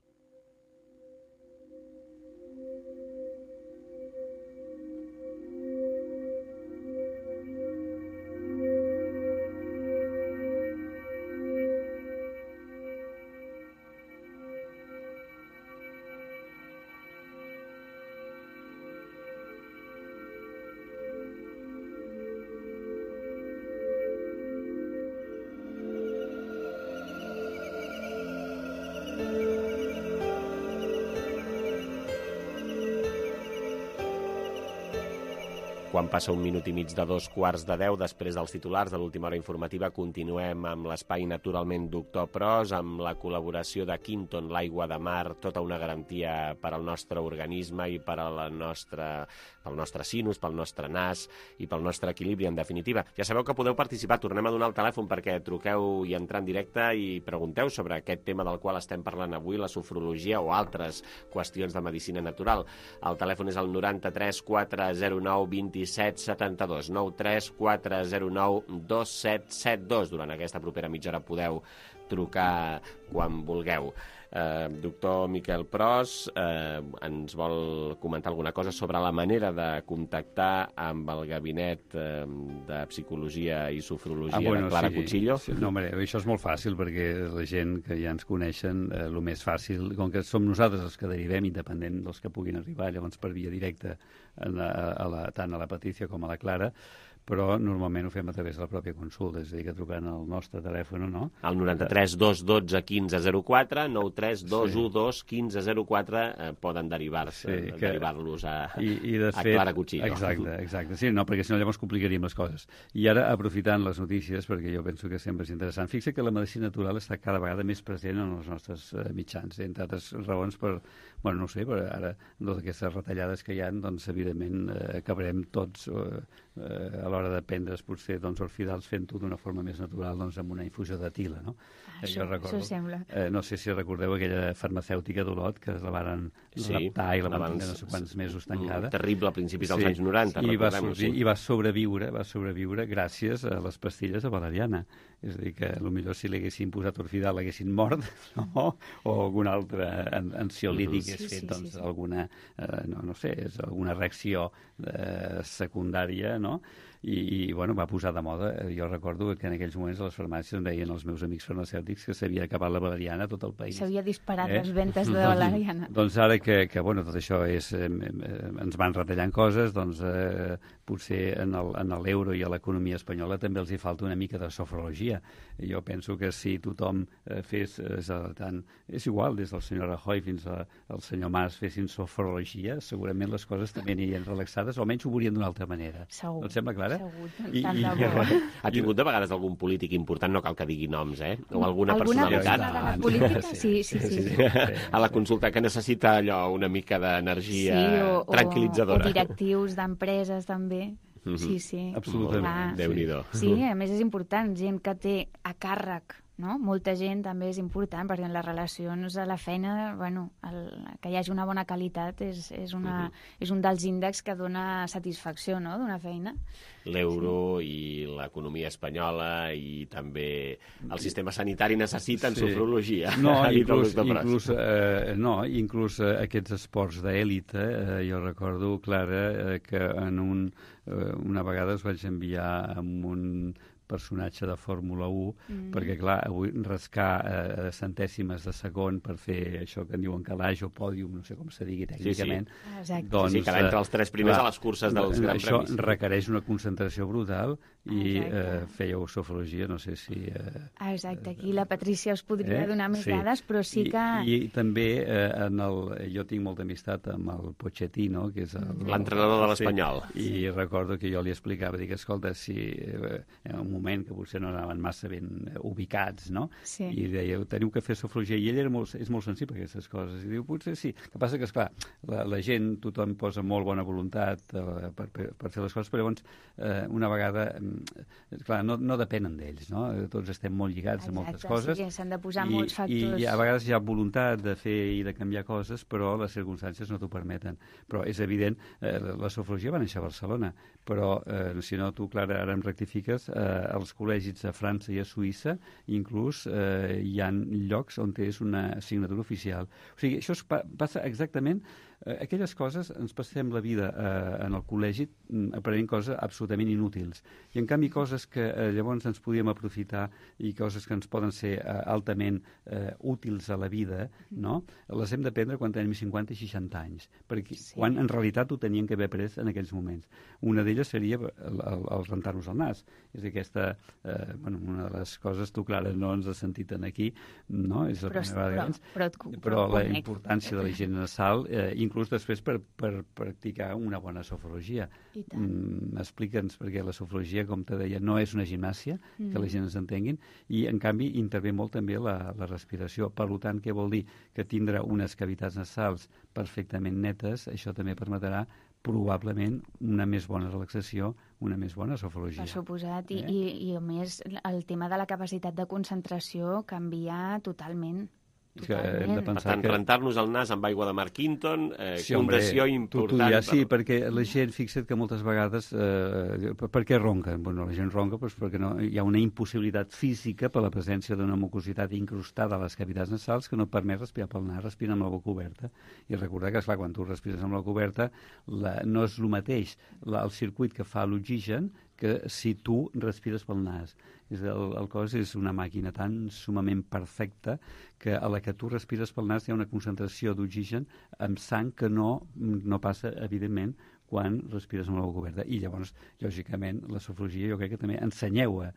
Speaker 1: Quan passa un minut i mig de 9:15, després dels titulars de l'última hora informativa, continuem amb l'espai naturalment doctor Pros, amb la col·laboració de Quinton, l'aigua de mar, tota una garantia per al nostre organisme i per a pel nostre sinus, pel nostre nas i pel nostre equilibri, en definitiva. Ja sabeu que podeu participar, tornem a donar el telèfon perquè truqueu i entrar en directe i pregunteu sobre aquest tema del qual estem parlant avui, la sofrologia o altres qüestions de medicina natural. El telèfon és el 93 409 27 72, 93 409 2772. Durant aquesta propera mitja hora podeu trucar quan vulgueu. Doctor Miquel Pros ens vol comentar alguna cosa sobre la manera de contactar amb el gabinet de psicologia i sofrologia de Clara Cuchillo.
Speaker 13: Sí, no, això és molt fàcil perquè la gent que ja ens coneixen, el més fàcil, com que som nosaltres els que derivem, independent dels que puguin arribar, llavors per via directa tant a la Patricia com a la Clara, però normalment ho fem a través de la pròpia consulta, és a dir, que trucant al nostre telèfon, no?
Speaker 1: Al 93 212 1504, 93 212 1504 poden derivar-los a Clara Cuchillo.
Speaker 13: Exacte. Sí, no, perquè si no llavors complicaríem les coses. I ara, aprofitant les notícies, perquè jo penso que sempre és interessant, fixa que la medicina natural està cada vegada més present en els nostres mitjans, entre altres raons per, no sé, per ara, d'aquestes retallades que hi ha, doncs, evidentment, acabarem tots a l'hora de prendre's potser els fidals fent-ho d'una forma més natural, doncs amb una infusió d'etila, no?
Speaker 14: Això sembla.
Speaker 13: No sé si recordeu aquella farmacèutica d'Olot que la varen raptar i la van tenir no sé quants mesos tancada.
Speaker 1: Terrible a principis dels anys 90, recordem-ho.
Speaker 13: I va sobreviure gràcies a les pastilles de valeriana. És a dir, que potser si li haguessin posat orfidal l'haguessin mort, no? O algun altre ansiolític hagués fet alguna, no sé, alguna reacció secundària, no? I va posar de moda. Jo recordo que en aquells moments a les farmàcies em deien els meus amics farmacèutics que s'havia acabat la valeriana a tot el país.
Speaker 14: S'havia disparat les ventes de valeriana.
Speaker 13: Doncs ara que tot això ens van retallant coses, doncs potser en l'euro i a l'economia espanyola també els hi falta una mica de sofrologia. Jo penso que si tothom fes, és igual, des del senyor Rajoy fins al senyor Mas fessin sofrologia, segurament les coses també anirien relaxades, o almenys ho veurien d'una altra manera.
Speaker 14: Segur.
Speaker 13: No et sembla clar? ara.
Speaker 1: Ha tingut de vegades algun polític important, no cal que digui noms, o alguna personalitat?
Speaker 14: Alguna persona de la política, sí.
Speaker 1: A la consulta, que necessita allò una mica d'energia tranquil·litzadora.
Speaker 14: O directius d'empreses, també. Sí.
Speaker 13: Absolutament.
Speaker 1: Déu-n'hi-do.
Speaker 14: Sí, a més és important, gent que té a càrrec, no? Molta gent també és important, perquè en les relacions a la feina, que hi hagi una bona qualitat és un dels índexs que dona satisfacció, no?, d'una feina.
Speaker 1: L'euro i l'economia espanyola i també el sistema sanitari necessiten sofrologia.
Speaker 13: Inclús aquests esports d'èlite, jo recordo, Clara, que una vegada es vaig enviar amb un personatge de Fórmula 1, perquè, clar, avui rascar centèsimes de segon per fer això que en diuen calaix o pòdium, no sé com se digui tècnicament.
Speaker 1: Doncs, quedar entre els 3 primers a les curses dels Grans Premis.
Speaker 13: Això requereix una concentració brutal i fèieu sofrologia, no sé si...
Speaker 14: Exacte, aquí la Patrícia us podria donar més dades, però sí que...
Speaker 13: I també jo tinc molta amistat amb el Pochettino, que és
Speaker 1: l'entrenador de l'Espanyol.
Speaker 13: I recordo que jo li explicava, dic, escolta, si en un moment que potser no anaven massa ben ubicats, no?
Speaker 14: Sí.
Speaker 13: I deia, teniu que fer sofrologia. I ell és molt sensible a aquestes coses. I diu, potser sí. El que passa que, esclar, la gent, tothom posa molt bona voluntat per fer les coses, però llavors, una vegada, clar, no depenen d'ells, no? Tots estem molt lligats a moltes coses.
Speaker 14: Sí, s'han de posar molts factors.
Speaker 13: I a vegades hi ha voluntat de fer i de canviar coses, però les circumstàncies no t'ho permeten. Però és evident, la sofrologia va néixer a Barcelona, però, si no, tu, Clara, ara em rectifiques, als col·legis a França i a Suïssa, inclús hi ha llocs on és una assignatura oficial. O sigui, això passa exactament... Aquelles coses ens passem la vida en el col·legi aprenent coses absolutament inútils. I, en canvi, coses que llavors ens podíem aprofitar i coses que ens poden ser altament útils a la vida, no? Les hem d'aprendre quan tenim 50 i 60 anys, perquè quan en realitat ho tenien que haver après en aquells moments. Una d'elles seria el rentar-nos el nas. És aquesta, una de les coses, tu, Clara, no ens has sentit aquí, no? És la primera vegada. Però la importància de la higiene nasal, inclús després per practicar una bona sofrologia. Explica'ns, perquè la sofrologia, com te deia, no és una gimnàsia, que la gent ens entenguin, i en canvi intervé molt també la respiració. Per tant, què vol dir? Que tindre unes cavitats nasals perfectament netes, això també permetrà probablement una més bona relaxació, una més bona sofrologia.
Speaker 14: Per suposat, i a més el tema de la capacitat de concentració canvia totalment.
Speaker 1: Per tant, rentar-nos el nas amb aigua de Mark Quinton, condició important.
Speaker 13: Sí, perquè la gent, fixa't que moltes vegades... Per què ronquen? Bueno, la gent ronca perquè hi ha una impossibilitat física per la presència d'una mucositat incrustada a les cavitats nasals que no permet respirar pel nas, respirar amb la boca oberta. I recordar que, esclar, quan tu respires amb la boca oberta no és el mateix el circuit que fa l'oxigen que si tu respires pel nas. El cos és una màquina tan sumament perfecta que a la que tu respires pel nas hi ha una concentració d'oxigen amb sang que no passa, evidentment, quan respires amb la boca oberta. I llavors, lògicament, la sofrologia jo crec que també ensenyeu a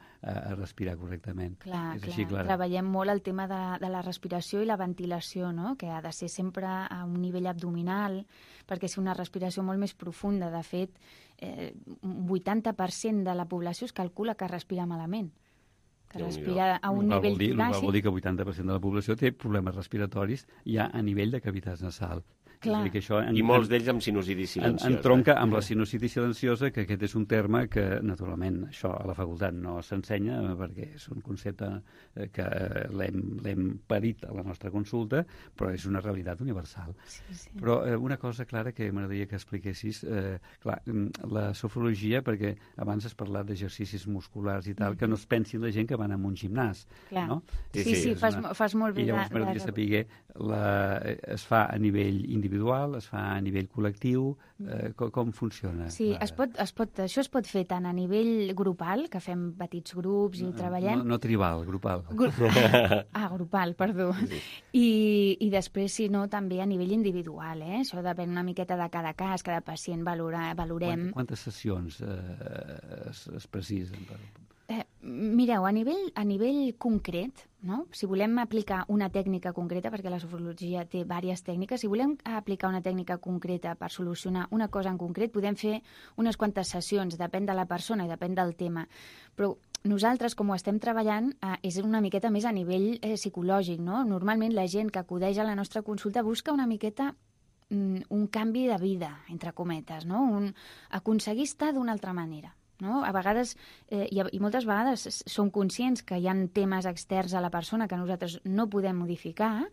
Speaker 13: respirar correctament.
Speaker 14: Clar. Treballem molt el tema de la respiració i la ventilació, no? Que ha de ser sempre a un nivell abdominal, perquè és una respiració molt més profunda. De fet, un 80% de la població es calcula que respira malament. Que respira a un nivell
Speaker 13: plàcid. Vol dir que el 80% de la població té problemes respiratoris ja a nivell de cavitats nasal.
Speaker 1: I molts d'ells amb sinusitis silenciosa.
Speaker 13: Entronca amb la sinusitis silenciosa, que aquest és un terme que, naturalment, això a la facultat no s'ensenya, perquè és un concepte que l'hem parit a la nostra consulta, però és una realitat universal. Però una cosa, Clara, que m'agradaria que expliquessis, la sofrologia, perquè abans has parlat d'exercicis musculars i tal, que no es pensin la gent que van a un gimnàs.
Speaker 14: No? Sí, fas molt bé.
Speaker 13: I llavors m'agradaria saber, es fa a nivell individual, es fa a nivell col·lectiu, com funciona?
Speaker 14: Sí, això es pot fer tant a nivell grupal, que fem petits grups i treballem...
Speaker 13: No tribal, grupal.
Speaker 14: Grupal, perdó. I després, si no, també a nivell individual, Això depèn una miqueta de cada cas, cada pacient valorem.
Speaker 13: Quantes sessions es precisen?
Speaker 14: Mireu, a nivell concret, no? Si volem aplicar una tècnica concreta, perquè la sofrologia té diverses tècniques, si volem aplicar una tècnica concreta per solucionar una cosa en concret, podem fer unes quantes sessions, depèn de la persona i depèn del tema. Però nosaltres, com ho estem treballant, és una miqueta més a nivell psicològic, no? Normalment la gent que acudeix a la nostra consulta busca una miqueta un canvi de vida, entre cometes, no? Aconseguir estar d'una altra manera. No? A vegades, i moltes vegades, som conscients que hi ha temes externs a la persona que nosaltres no podem modificar,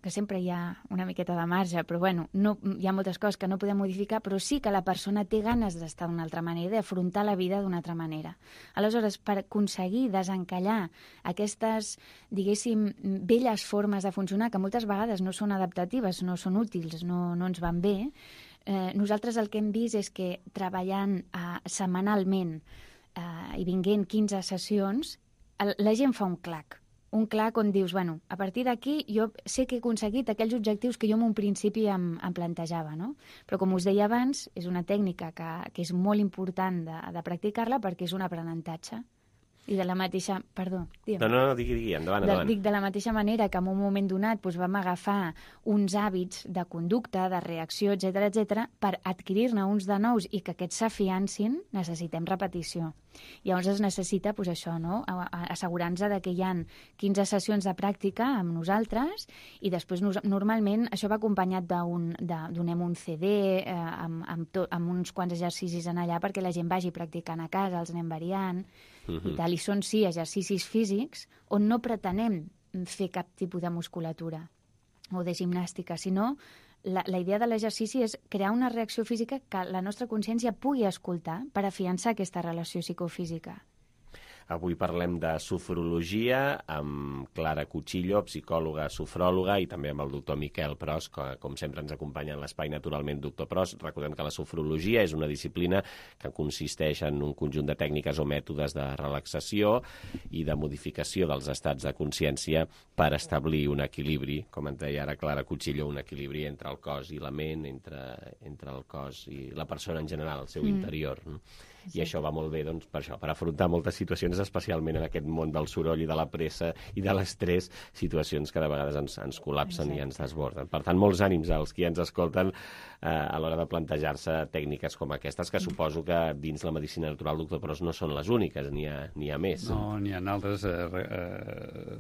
Speaker 14: que sempre hi ha una miqueta de marge, però bueno, hi ha moltes coses que no podem modificar, però sí que la persona té ganes d'estar d'una altra manera, d'afrontar la vida d'una altra manera. Aleshores, per aconseguir desencallar aquestes, diguéssim, velles formes de funcionar, que moltes vegades no són adaptatives, no són útils, no ens van bé, nosaltres el que hem vist és que treballant setmanalment i vinguent 15 sessions, la gent fa un clac on dius, bueno, a partir d'aquí jo sé que he aconseguit aquells objectius que jo en un principi em plantejava, no? Però com us deia abans, és una tècnica que és molt important de practicar-la perquè és un aprenentatge. I de la mateixa... Perdó, digue'm.
Speaker 1: No, digui, endavant.
Speaker 14: Dic, de la mateixa manera que en un moment donat vam agafar uns hàbits de conducta, de reacció, etc per adquirir-ne uns de nous i que aquests s'afiancin, necessitem repetició. Llavors es necessita, això, no? Assegurar-nos que hi ha 15 sessions de pràctica amb nosaltres i després normalment això va acompanyat donem un CD amb uns quants exercicis en allà perquè la gent vagi practicant a casa, els anem variant i tal. I són, sí, exercicis físics on no pretenem fer cap tipus de musculatura o de gimnàstica, sinó la idea de l'exercici és crear una reacció física que la nostra consciència pugui escoltar per afiançar aquesta relació psicofísica.
Speaker 1: Avui parlem de sofrologia amb Clara Cuchillo, psicòloga, sofròloga, i també amb el doctor Miquel Pros, que com sempre ens acompanya en l'espai naturalment. Doctor Pros, recordem que la sofrologia és una disciplina que consisteix en un conjunt de tècniques o mètodes de relaxació i de modificació dels estats de consciència per establir un equilibri, com ens deia ara Clara Cuchillo, un equilibri entre el cos i la ment, entre el cos i la persona en general, el seu interior. I això va molt bé, doncs, per això, per afrontar moltes situacions, especialment en aquest món del soroll i de la pressa i de l'estrès, situacions que de vegades ens col·lapsen i ens desborden. Per tant, molts ànims als qui ens escolten a l'hora de plantejar-se tècniques com aquestes, que suposo que dins la medicina natural, doctor Pros, no són les úniques, n'hi ha més.
Speaker 13: No, n'hi ha altres.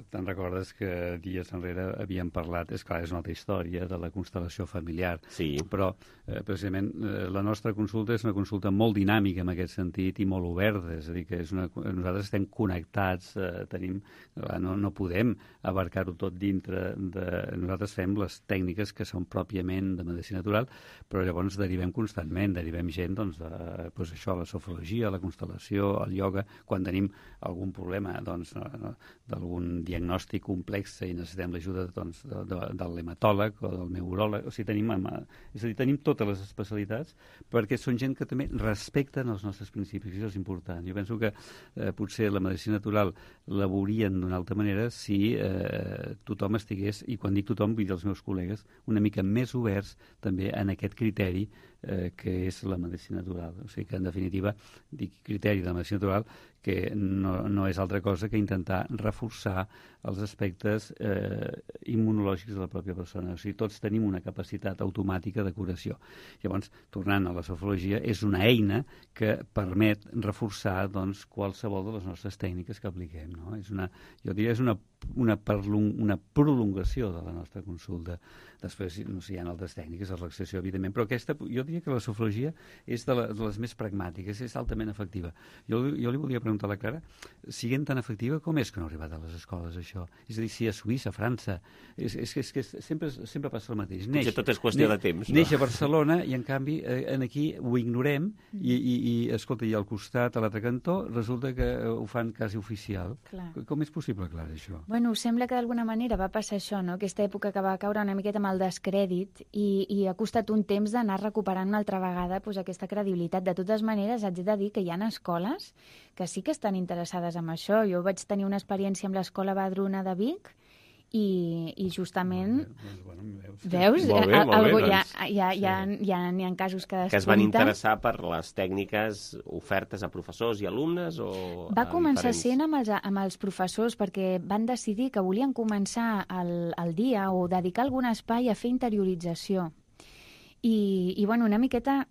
Speaker 13: Te'n recordes que dies enrere havíem parlat, és clar, és una altra història, de la constel·lació familiar.
Speaker 1: Sí.
Speaker 13: Però, precisament, la nostra consulta és una consulta molt dinàmica en aquest sentit i molt oberta, és a dir, que nosaltres estem connectats, no podem abarcar-ho tot dintre nosaltres fem les tècniques que són pròpiament de medicina natural, però llavors derivem constantment, derivem gent això, la sofrologia, la constel·lació, el ioga, quan tenim algun problema d'algun diagnòstic complex i necessitem l'ajuda del hematòleg o del neuròleg, o sigui, tenim totes les especialitats perquè són gent que també respecten els nostres principis, i això és important. Jo penso que potser la medicina natural la veurien d'una altra manera si tothom estigués, i quan dic tothom vull dir els meus col·legues, una mica més oberts també en aquest criteri que és la medicina natural. O sigui que, en definitiva, dic criteri de la medicina natural que no és altra cosa que intentar reforçar els aspectes immunològics de la pròpia persona. O sigui, tots tenim una capacitat automàtica de curació. Llavors, tornant a la sofrologia, és una eina que permet reforçar qualsevol de les nostres tècniques que apliquem. No? Jo diria que és una prolongació de la nostra consulta. Després, no sé, hi ha altres tècniques de relaxació, evidentment, però aquesta, jo diria que la sofrologia és de les més pragmàtiques, és altament efectiva. Jo li volia preguntar a la Clara, siguent tan efectiva, com és que no ha arribat a les escoles, això? És a dir, si a Suïssa, a França, és que sempre passa el mateix.
Speaker 1: Potser tot és qüestió de temps, no?
Speaker 13: Neix a Barcelona i, en canvi, aquí ho ignorem i escolta, i al costat, a l'altre cantó, resulta que ho fan quasi oficial.
Speaker 14: Clar.
Speaker 13: Com és possible, Clara, això?
Speaker 14: Bueno, sembla que d'alguna manera va passar això, no? Aquesta època que va caure una miqueta amb el descrèdit i ha costat un temps d'anar recuperant una altra vegada aquesta credibilitat. De totes maneres, haig de dir que hi ha escoles que sí que estan interessades en això. Jo vaig tenir una experiència amb l'escola Badruna de Vic i justament...
Speaker 1: Veus?
Speaker 14: Molt
Speaker 1: bé,
Speaker 14: doncs. N'hi ha casos que despunten.
Speaker 1: Que es van interessar per les tècniques ofertes a professors i alumnes?
Speaker 14: Va començar sent amb els professors, perquè van decidir que volien començar el dia o dedicar algun espai a fer interiorització. I bueno, una miqueta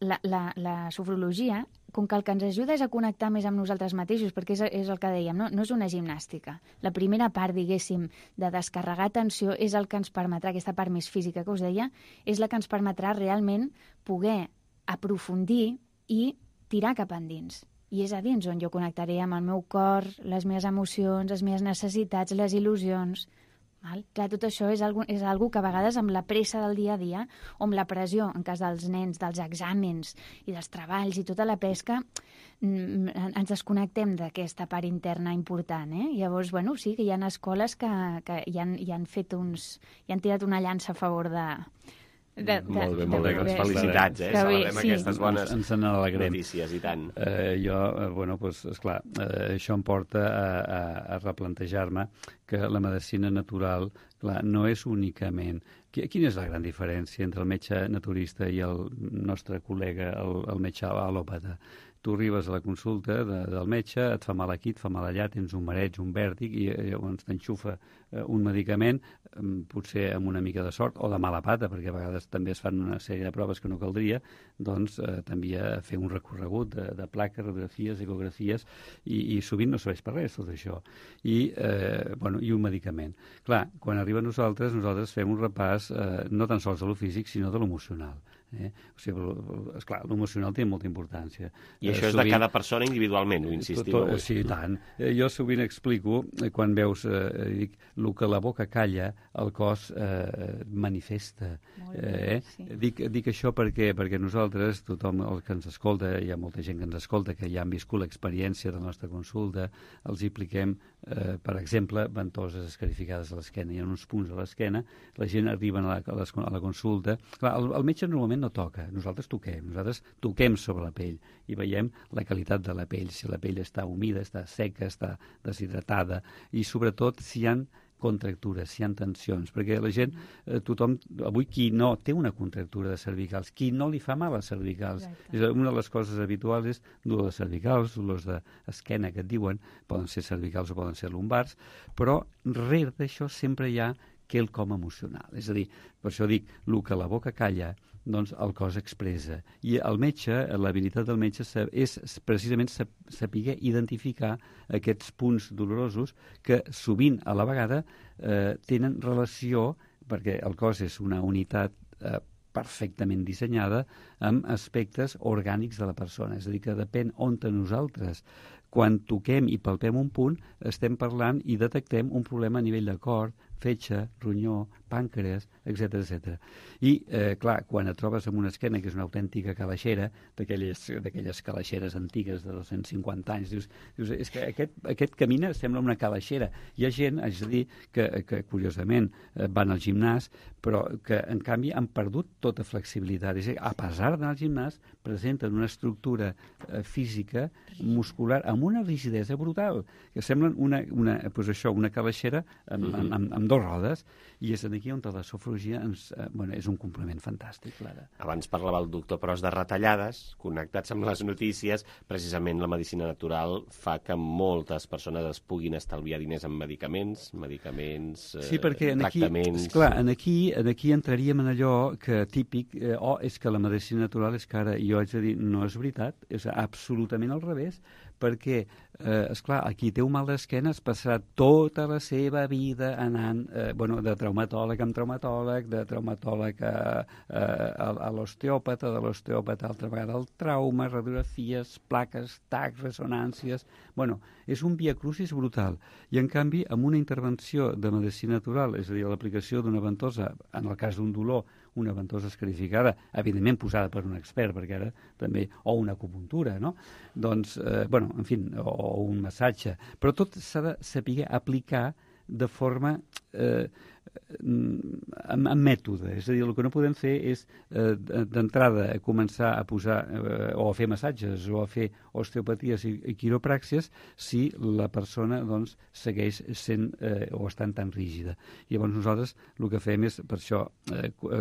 Speaker 14: la sofrologia, com que el que ens ajuda és a connectar més amb nosaltres mateixos, perquè és el que dèiem, no és una gimnàstica. La primera part, diguéssim, de descarregar tensió és el que ens permetrà, aquesta part més física que us deia, és la que ens permetrà realment poder aprofundir i tirar cap endins. I és a dins on jo connectaré amb el meu cor, les meves emocions, les meves necessitats, les il·lusions. Clar, tot això és algo que a vegades amb la pressa del dia a dia o amb la pressió, en cas dels nens, dels exàmens i dels treballs i tota la pesca, ens desconnectem d'aquesta part interna important. Llavors, bueno, sí que hi ha escoles que hi han tirat una llança a favor de...
Speaker 1: Molt bé, felicitats, celebrem aquestes bones notícies, i tant.
Speaker 13: Esclar, això em porta a replantejar-me que la medicina natural, clar, no és únicament... Quina és la gran diferència entre el metge naturista i el nostre col·lega, el metge alòpata? Tu arribes a la consulta del metge, et fa mal aquí, et fa mal allà, tens un mareig, un vèrtic, i llavors t'enxufa un medicament, potser amb una mica de sort, o de mala pata, perquè a vegades també es fan una sèrie de proves que no caldria, doncs t'envia a fer un recorregut de plaques, radiografies, ecografies, i sovint no serveix per res tot això. I un medicament. Clar, quan arriba a nosaltres fem un repàs no tan sols de lo físic, sinó de l'emocional. O sigui, esclar, l'emocional té molta importància.
Speaker 1: I això és de cada persona individualment, ho insistiu?
Speaker 13: Sí, tant. Jo sovint explico, quan veus, dic, el que la boca calla, el cos manifesta. Dic això perquè nosaltres, tothom el que ens escolta, hi ha molta gent que ens escolta, que ja han viscut l'experiència de la nostra consulta, els hi apliquem, per exemple, ventoses escarificades a l'esquena. Hi ha uns punts a l'esquena, la gent arriba a la consulta. Clar, el metge normalment no toca, nosaltres toquem sobre la pell i veiem la qualitat de la pell, si la pell està humida, està seca, està deshidratada, i sobretot si hi ha contractures, si hi ha tensions, perquè la gent, tothom, avui qui no té una contractura de cervicals, qui no li fa mal a cervicals. Una de les coses habituals és dolor de cervicals, dolors d'esquena que et diuen, poden ser cervicals o poden ser lumbars, però rere d'això sempre hi ha quelcom emocional. És a dir, per això dic, el que la boca calla, doncs el cos expressa. I el metge, l'habilitat del metge és precisament saber identificar aquests punts dolorosos que sovint a la vegada tenen relació, perquè el cos és una unitat perfectament dissenyada amb aspectes orgànics de la persona. És a dir, que depèn on nosaltres, quan toquem i palpem un punt, estem parlant i detectem un problema a nivell de cor, fetge, ronyó, pàncreas, etc. I, clar, quan et trobes amb una esquena que és una autèntica calaixera, d'aquelles calaixeres antigues de 250 anys, dius és que aquest camina sembla una calaixera. Hi ha gent, haig de dir, que curiosament van al gimnàs, però que, en canvi, han perdut tota flexibilitat. És a dir, a pesar d'anar al gimnàs, presenten una estructura física, muscular, amb una rigidesa brutal, que semblen una calaixera amb dos rodes, i és aquí on la sofrologia és un complement fantàstic, Clara.
Speaker 1: Abans parlava el doctor Pros de retallades, connectats amb les notícies. Precisament la medicina natural fa que moltes persones es puguin estalviar diners en medicaments,
Speaker 13: sí, perquè
Speaker 1: tractaments...
Speaker 13: Aquí entraríem en allò que típic, és que la medicina natural és cara, i jo haig de dir, no és veritat, és absolutament al revés, perquè, esclar, qui té un mal d'esquena es passarà tota la seva vida anant de traumatòleg en traumatòleg, de traumatòleg a l'osteòpata, de l'osteòpata altra vegada al trauma, radiografies, plaques, tacs, ressonàncies... És un viacrucis brutal. I, en canvi, amb una intervenció de medicina natural, és a dir, l'aplicació d'una ventosa, en el cas d'un dolor, una ventosa escarificada, evidentment posada per un expert, perquè ara també, o una acupuntura, no? Doncs, o un massatge. Però tot s'ha de saber aplicar de forma amb mètode. És a dir, el que no podem fer és d'entrada començar a posar o a fer massatges o a fer osteopaties i quiropràxies si la persona doncs, segueix sent o estant tan rígida. I llavors nosaltres el que fem és per això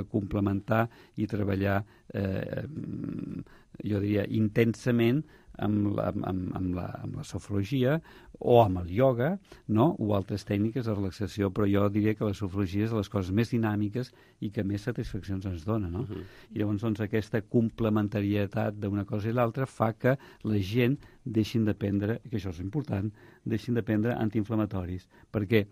Speaker 13: complementar i treballar jo diria intensament amb la sofrologia o amb el ioga, no? O altres tècniques de relaxació, però jo diria que la sofrologia és de les coses més dinàmiques i que més satisfaccions ens dona, no? I llavors doncs, aquesta complementarietat d'una cosa i l'altra fa que la gent deixin de prendre, que això és important, deixin de prendre antiinflamatoris, perquè,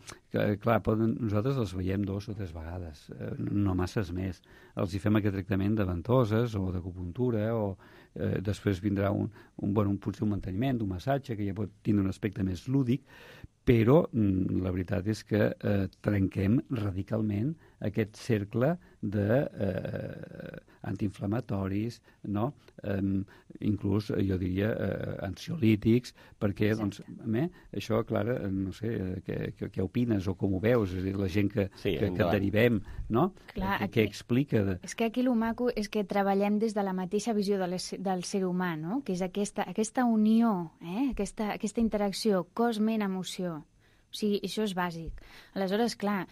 Speaker 13: clar, nosaltres els veiem 2 o 3 vegades, no masses més. Els hi fem aquest tractament de ventoses o d'acupuntura o després vindrà potser un manteniment, un massatge, que ja pot tindre un aspecte més lúdic, però la veritat és que trenquem radicalment aquest cercle d'antiinflamatoris, no? Inclús, jo diria, ansiolítics, perquè, doncs, això, Clara, no sé, què opines o com ho veus? És a dir, la gent que et derivem, no? Què explica?
Speaker 14: És que aquí el maco és que treballem des de la mateixa visió del ser humà, no? Que és aquesta unió, aquesta interacció cos-ment-emoció. O sigui, això és bàsic. Aleshores, clar,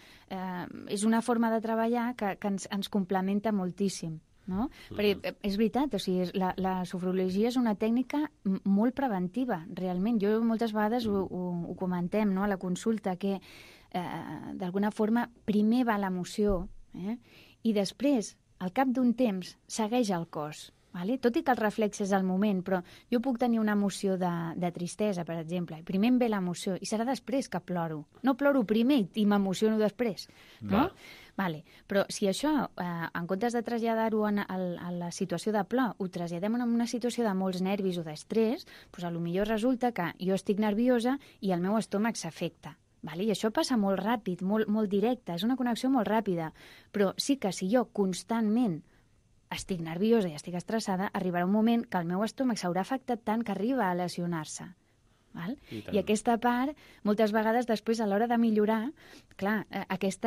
Speaker 14: és una forma de treballar que ens complementa moltíssim, no? Perquè és veritat, o sigui, la sofrologia és una tècnica molt preventiva, realment. Jo moltes vegades ho comentem, no?, a la consulta, que d'alguna forma primer va l'emoció i després, al cap d'un temps, segueix el cos. Vale? Tot i que el reflex és al moment, però jo puc tenir una emoció de tristesa, per exemple, i primer em ve l'emoció, i serà després que ploro. No ploro primer i m'emociono després, no? Vale. Però si això, en comptes de traslladar-ho a la situació de plor, ho traslladem a una situació de molts nervis o d'estrès, doncs potser resulta que jo estic nerviosa i el meu estómac s'afecta. Vale? I això passa molt ràpid, molt directe, és una connexió molt ràpida, però sí que si jo constantment estic nerviosa i estic estressada, arribarà un moment que el meu estómac s'haurà afectat tant que arriba a lesionar-se. I aquesta part, moltes vegades després, a l'hora de millorar, clar, aquest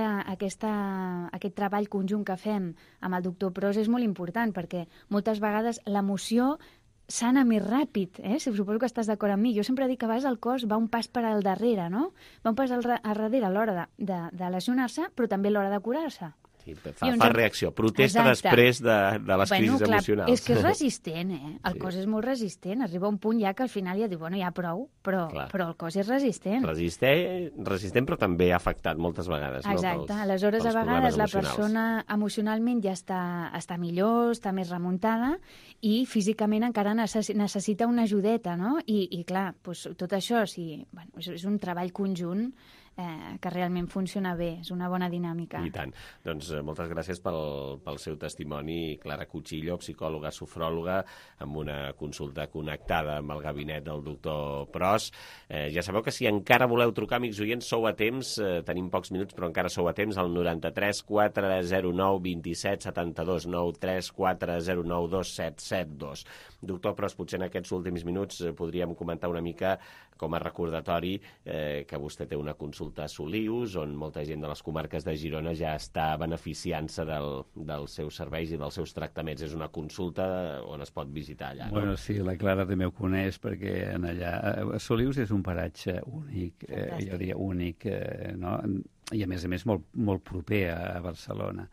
Speaker 14: treball conjunt que fem amb el doctor Pros és molt important, perquè moltes vegades l'emoció sana més ràpid, suposo que estàs d'acord amb mi. Jo sempre dic que a vegades el cos va un pas per al darrere, no? Va un pas al darrere a l'hora de lesionar-se, però també a l'hora de curar-se.
Speaker 1: Sí, fa reacció, protesta després de les crisis emocionals.
Speaker 14: És que és resistent, El cos és molt resistent. Arriba un punt ja que al final ja diu, ja prou, però el cos és resistent.
Speaker 1: Resistent, però també afectat moltes vegades.
Speaker 14: Exacte. Aleshores, a vegades la persona emocionalment ja està millor, està més remuntada i físicament encara necessita una ajudeta, no? I clar, tot això és un treball conjunt que realment funciona bé, és una bona dinàmica.
Speaker 1: I tant. Doncs moltes gràcies pel seu testimoni, Clara Cuchillo, psicòloga, sofròloga, amb una consulta connectada amb el gabinet del doctor Pros. Ja sabeu que si encara voleu trucar, amics oients, sou a temps, tenim pocs minuts, però encara sou a temps, al 93 409 27 72, 93 409 2772. Doctor Pros, potser en aquests últims minuts podríem comentar una mica com a recordatori que vostè té una consulta a Solius, on molta gent de les comarques de Girona ja està beneficiant-se dels seus serveis i dels seus tractaments. És una consulta on es pot visitar allà, no?
Speaker 13: Bueno, sí, la Clara també ho coneix, perquè allà Solius és un paratge únic, jo diria únic, no? I a més molt proper a Barcelona.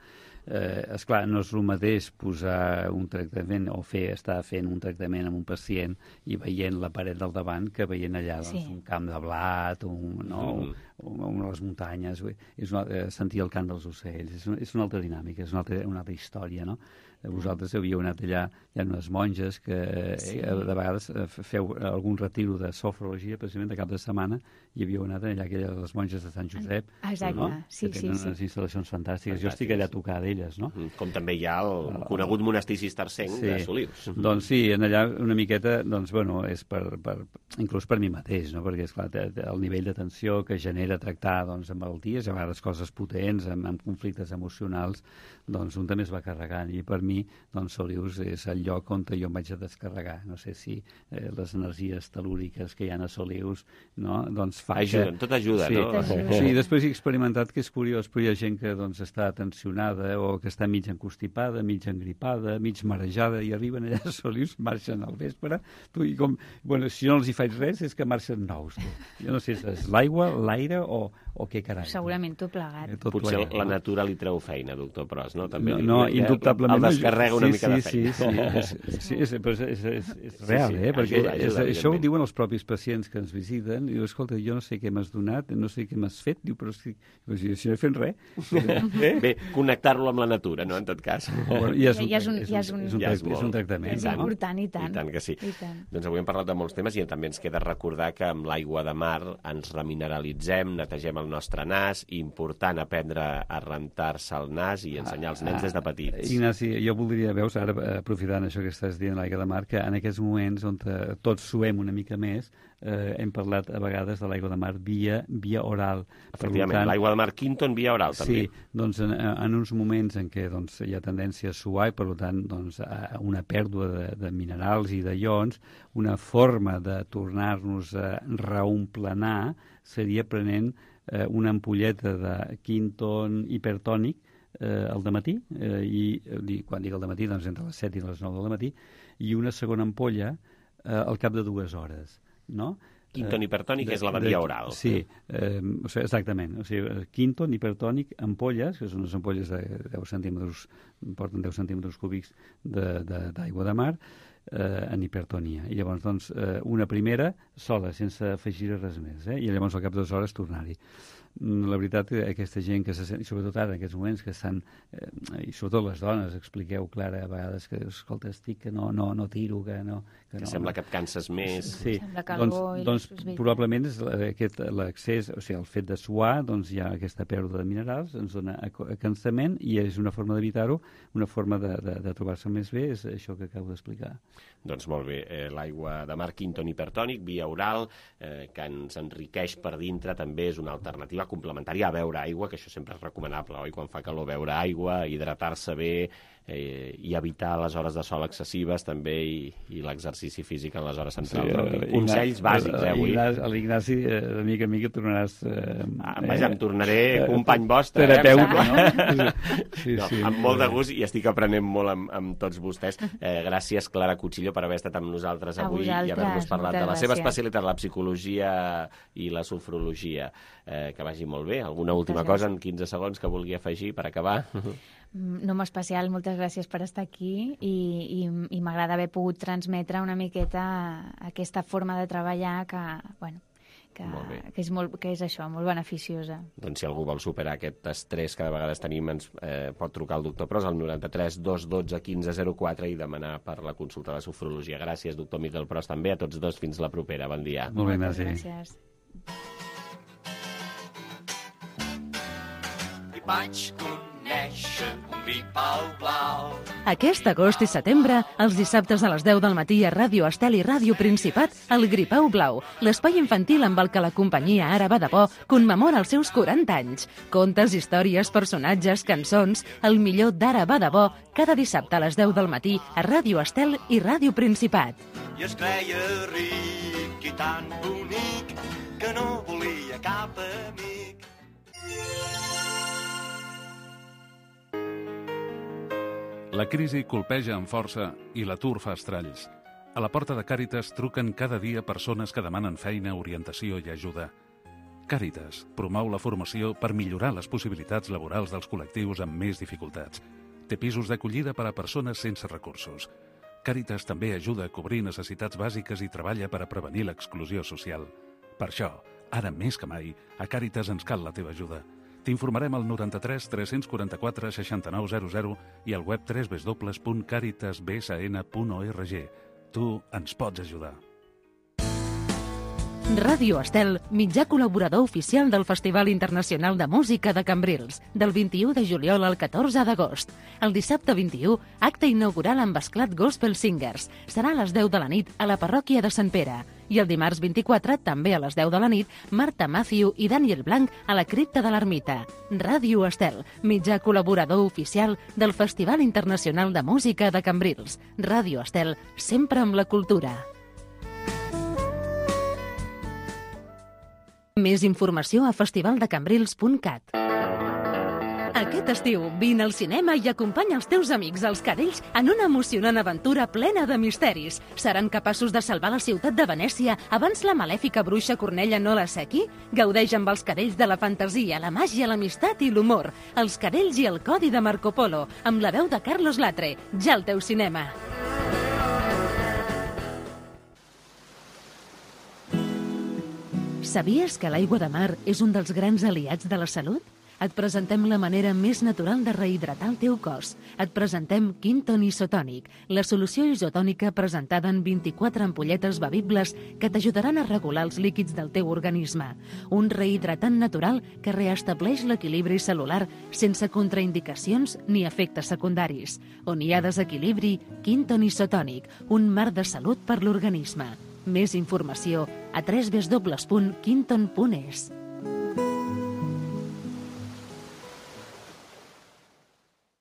Speaker 13: Esclar, no és el mateix posar un tractament o estar fent un tractament amb un pacient i veient la paret del davant que veient allà un camp de blat, les muntanyes, sentir el cant dels ocells. És una altra dinàmica, és una altra història, no? Vosaltres havíeu anat allà, hi ha unes monges que de vegades feu algun retiro de sofrologia, precisament de cap de setmana, i havíeu anat allà, les monges de Sant Josep.
Speaker 14: Exacte, sí.
Speaker 13: Que tenen unes instal·lacions fantàstiques. Jo estic allà a tocar d'elles, no?
Speaker 1: Com també hi ha el conegut monestir cistercenc de Solius.
Speaker 13: Doncs sí, allà una miqueta, doncs, bueno, és inclús per mi mateix, no? Perquè, esclar, el nivell d'atenció que genera tractar carregar doncs, amb malalties, a vegades coses potents, amb conflictes emocionals, doncs un també es va carregant. I per mi, doncs, Solius és el lloc on jo em vaig a descarregar. No sé si les energies telúriques que hi ha a Solius, no? Doncs fa
Speaker 1: ajuden, tot ajuda,
Speaker 13: sí,
Speaker 1: no?
Speaker 13: Sí, després he experimentat que és curiós, però hi ha gent que doncs, està tensionada o que està mig encostipada, mig engripada, mig marejada, i arriben allà a Solius, marxen al vespre, i com, bueno, si no els hi faig res, és que marxen nous. Jo no sé si és l'aigua, l'aire o què carai.
Speaker 14: Segurament tot plegat.
Speaker 1: Potser la natura li treu feina, doctor Pros, no? També
Speaker 13: no, indubtablement.
Speaker 1: El descarrega una mica de feina.
Speaker 13: Sí, és real, perquè això ho diuen els propis pacients que ens visiten, i diu, escolta, jo no sé què m'has donat, no sé què m'has fet, diu, però si no he fet res.
Speaker 1: Bé, connectar-lo amb la natura, no?, en tot cas.
Speaker 14: És un
Speaker 13: tractament.
Speaker 14: És important, i tant.
Speaker 1: I tant que sí. Doncs avui hem parlat de molts temes i també ens queda recordar que amb l'aigua de mar ens remineralitzem, netegem el nostre nas, important aprendre a rentar-se el nas i ensenyar als nens des de petits.
Speaker 13: Ignasi, jo voldria, veus, ara aprofitant això que estàs dient, l'aigua de mar, que en aquests moments on tots suem una mica més, hem parlat a vegades de l'aigua de mar via oral.
Speaker 1: Efectivament, l'aigua de mar Quinton via oral, també.
Speaker 13: Sí, doncs en uns moments en què doncs, hi ha tendència a suar i, per tant, doncs, una pèrdua de minerals i de ions, una forma de tornar-nos a reomplenar seria prenent una ampolleta de Quinton hipertònic al dematí, i quan dic al dematí, doncs entre les 7 i les 9 del matí, i una segona ampolla al cap de 2 hores. No?
Speaker 1: Quinton hipertònic és la de via oral.
Speaker 13: Sí, exactament. O sigui, Quinton hipertònic, ampolles, que són unes ampolles de 10 centímetres, porten 10 centímetres cúbics d'aigua de mar, en hipertonia. I llavors, doncs, una primera sola, sense afegir res més, i llavors al cap de 2 hores tornar-hi. La veritat, aquesta gent que se sent, i sobretot ara, en aquests moments que estan, i sobretot les dones, expliqueu, Clara, a vegades que, escolta, estic que no tiro, que no...
Speaker 1: Que sembla que et canses més.
Speaker 13: Sí, doncs probablement és l'accés, o sigui, el fet de suar, doncs hi ha aquesta pèrdua de minerals, ens dona cansament, i és una forma d'evitar-ho, una forma de trobar-se més bé, és això que acabo d'explicar.
Speaker 1: Doncs molt bé, l'aigua de mar Quinton hipertònic, via oral, que ens enriqueix per dintre, també és una alternativa complementària a beure aigua, que això sempre és recomanable, oi? Quan fa calor beure aigua, hidratar-se bé, i evitar les hores de sol excessives també, i l'exercici físic en les hores centrals. Consells bàsics, avui.
Speaker 13: L'Ignasi, de mica en mica tornaràs...
Speaker 1: Vaja, em tornaré company vostre.
Speaker 13: Terapeuta, no?
Speaker 1: Amb molt de gust, i estic aprenent molt amb tots vostès. Gràcies, Clara Cuchillo, per haver estat amb nosaltres avui i haver-nos parlat de la seva especialitat, la psicologia i la sofrologia. Que vagi molt bé. Alguna última cosa en 15 segons que vulgui afegir per acabar?
Speaker 14: No especial, moltes gràcies per estar aquí, i m'agrada haver pogut transmetre una miqueta aquesta forma de treballar que és això, molt beneficiosa.
Speaker 1: Doncs si algú vol superar aquest estrès que de vegades tenim, ens pot trucar al doctor Pros al 93 212 1504 i demanar per la consulta de sofrologia. Gràcies, doctor Miquel Pros, també a tots dos. Fins la propera. Bon dia.
Speaker 13: Molt bé, Ignasi.
Speaker 14: Gràcies.
Speaker 15: Vaig conèixer un vi blau.
Speaker 3: Aquest agost i setembre, els dissabtes a les 10 del matí a Ràdio Estel i Ràdio Principat, el Gripau Blau, l'espai infantil amb el que la companyia Ara va de bo commemora els seus 40 anys. Contes, històries, personatges, cançons, el millor d'Ara va de bo, cada dissabte a les 10 del matí a Ràdio Estel i Ràdio Principat.
Speaker 15: I es creia ric i tan bonic que no volia cap amic.
Speaker 12: La crisi colpeja amb força i l'atur fa estralls. A la porta de Càritas truquen cada dia persones que demanen feina, orientació i ajuda. Càritas promou la formació per millorar les possibilitats laborals dels col·lectius amb més dificultats. Té pisos d'acollida per a persones sense recursos. Càritas també ajuda a cobrir necessitats bàsiques i treballa per a prevenir l'exclusió social. Per això, ara més que mai, a Càritas ens cal la teva ajuda. T'informarem al 93 344 6900 i al web www.caritasbsn.org. Tu ens pots ajudar.
Speaker 3: Ràdio Estel, mitjà col·laborador oficial del Festival Internacional de Música de Cambrils, del 21 de juliol al 14 d'agost. El dissabte 21, acte inaugural amb Esclat Gospel Singers. Serà a les 10 de la nit a la parròquia de Sant Pere. I el dimarts 24, també a les 10 de la nit, Marta Matthew i Daniel Blanc a la cripta de l'Ermita. Ràdio Estel, mitjà col·laborador oficial del Festival Internacional de Música de Cambrils. Ràdio Estel, sempre amb la cultura. Més informació a festivaldecambrils.cat. Aquest estiu, vine al cinema i acompanya els teus amics, els cadells, en una emocionant aventura plena de misteris. Seran capaços de salvar la ciutat de Venècia abans la malèfica bruixa Cornella no la sequi? Gaudeix amb els cadells de la fantasia, la màgia, l'amistat i l'humor. Els cadells i el codi de Marco Polo, amb la veu de Carlos Latre. Ja al teu cinema. Sabies que l'aigua de mar és un dels grans aliats de la salut? Et presentem la manera més natural de rehidratar el teu cos. Et presentem Quinton Isotònic, la solució isotònica presentada en 24 ampolletes bevibles que t'ajudaran a regular els líquids del teu organisme. Un rehidratant natural que reestableix l'equilibri celular sense contraindicacions ni efectes secundaris. On hi ha desequilibri, Quinton Isotònic, un mar de salut per l'organisme. Més informació a www.quinton.es.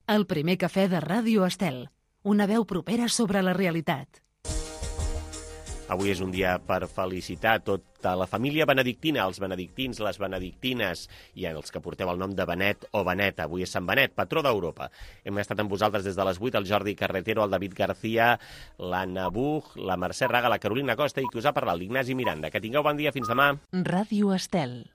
Speaker 3: El primer cafè de Ràdio Estel, una veu propera sobre la realitat.
Speaker 1: Avui és un dia per felicitar tota la família benedictina, els benedictins, les benedictines i els que porteu el nom de Benet o Benet. Avui és Sant Benet, patró d'Europa. Hem estat amb vosaltres des de les 8, el Jordi Carretero, el David García, l'Anna Buch, la Mercè Raga, la Carolina Costa i qui us ha parlat, l'Ignasi Miranda. Que tingueu bon dia, fins demà.
Speaker 3: Ràdio Estel.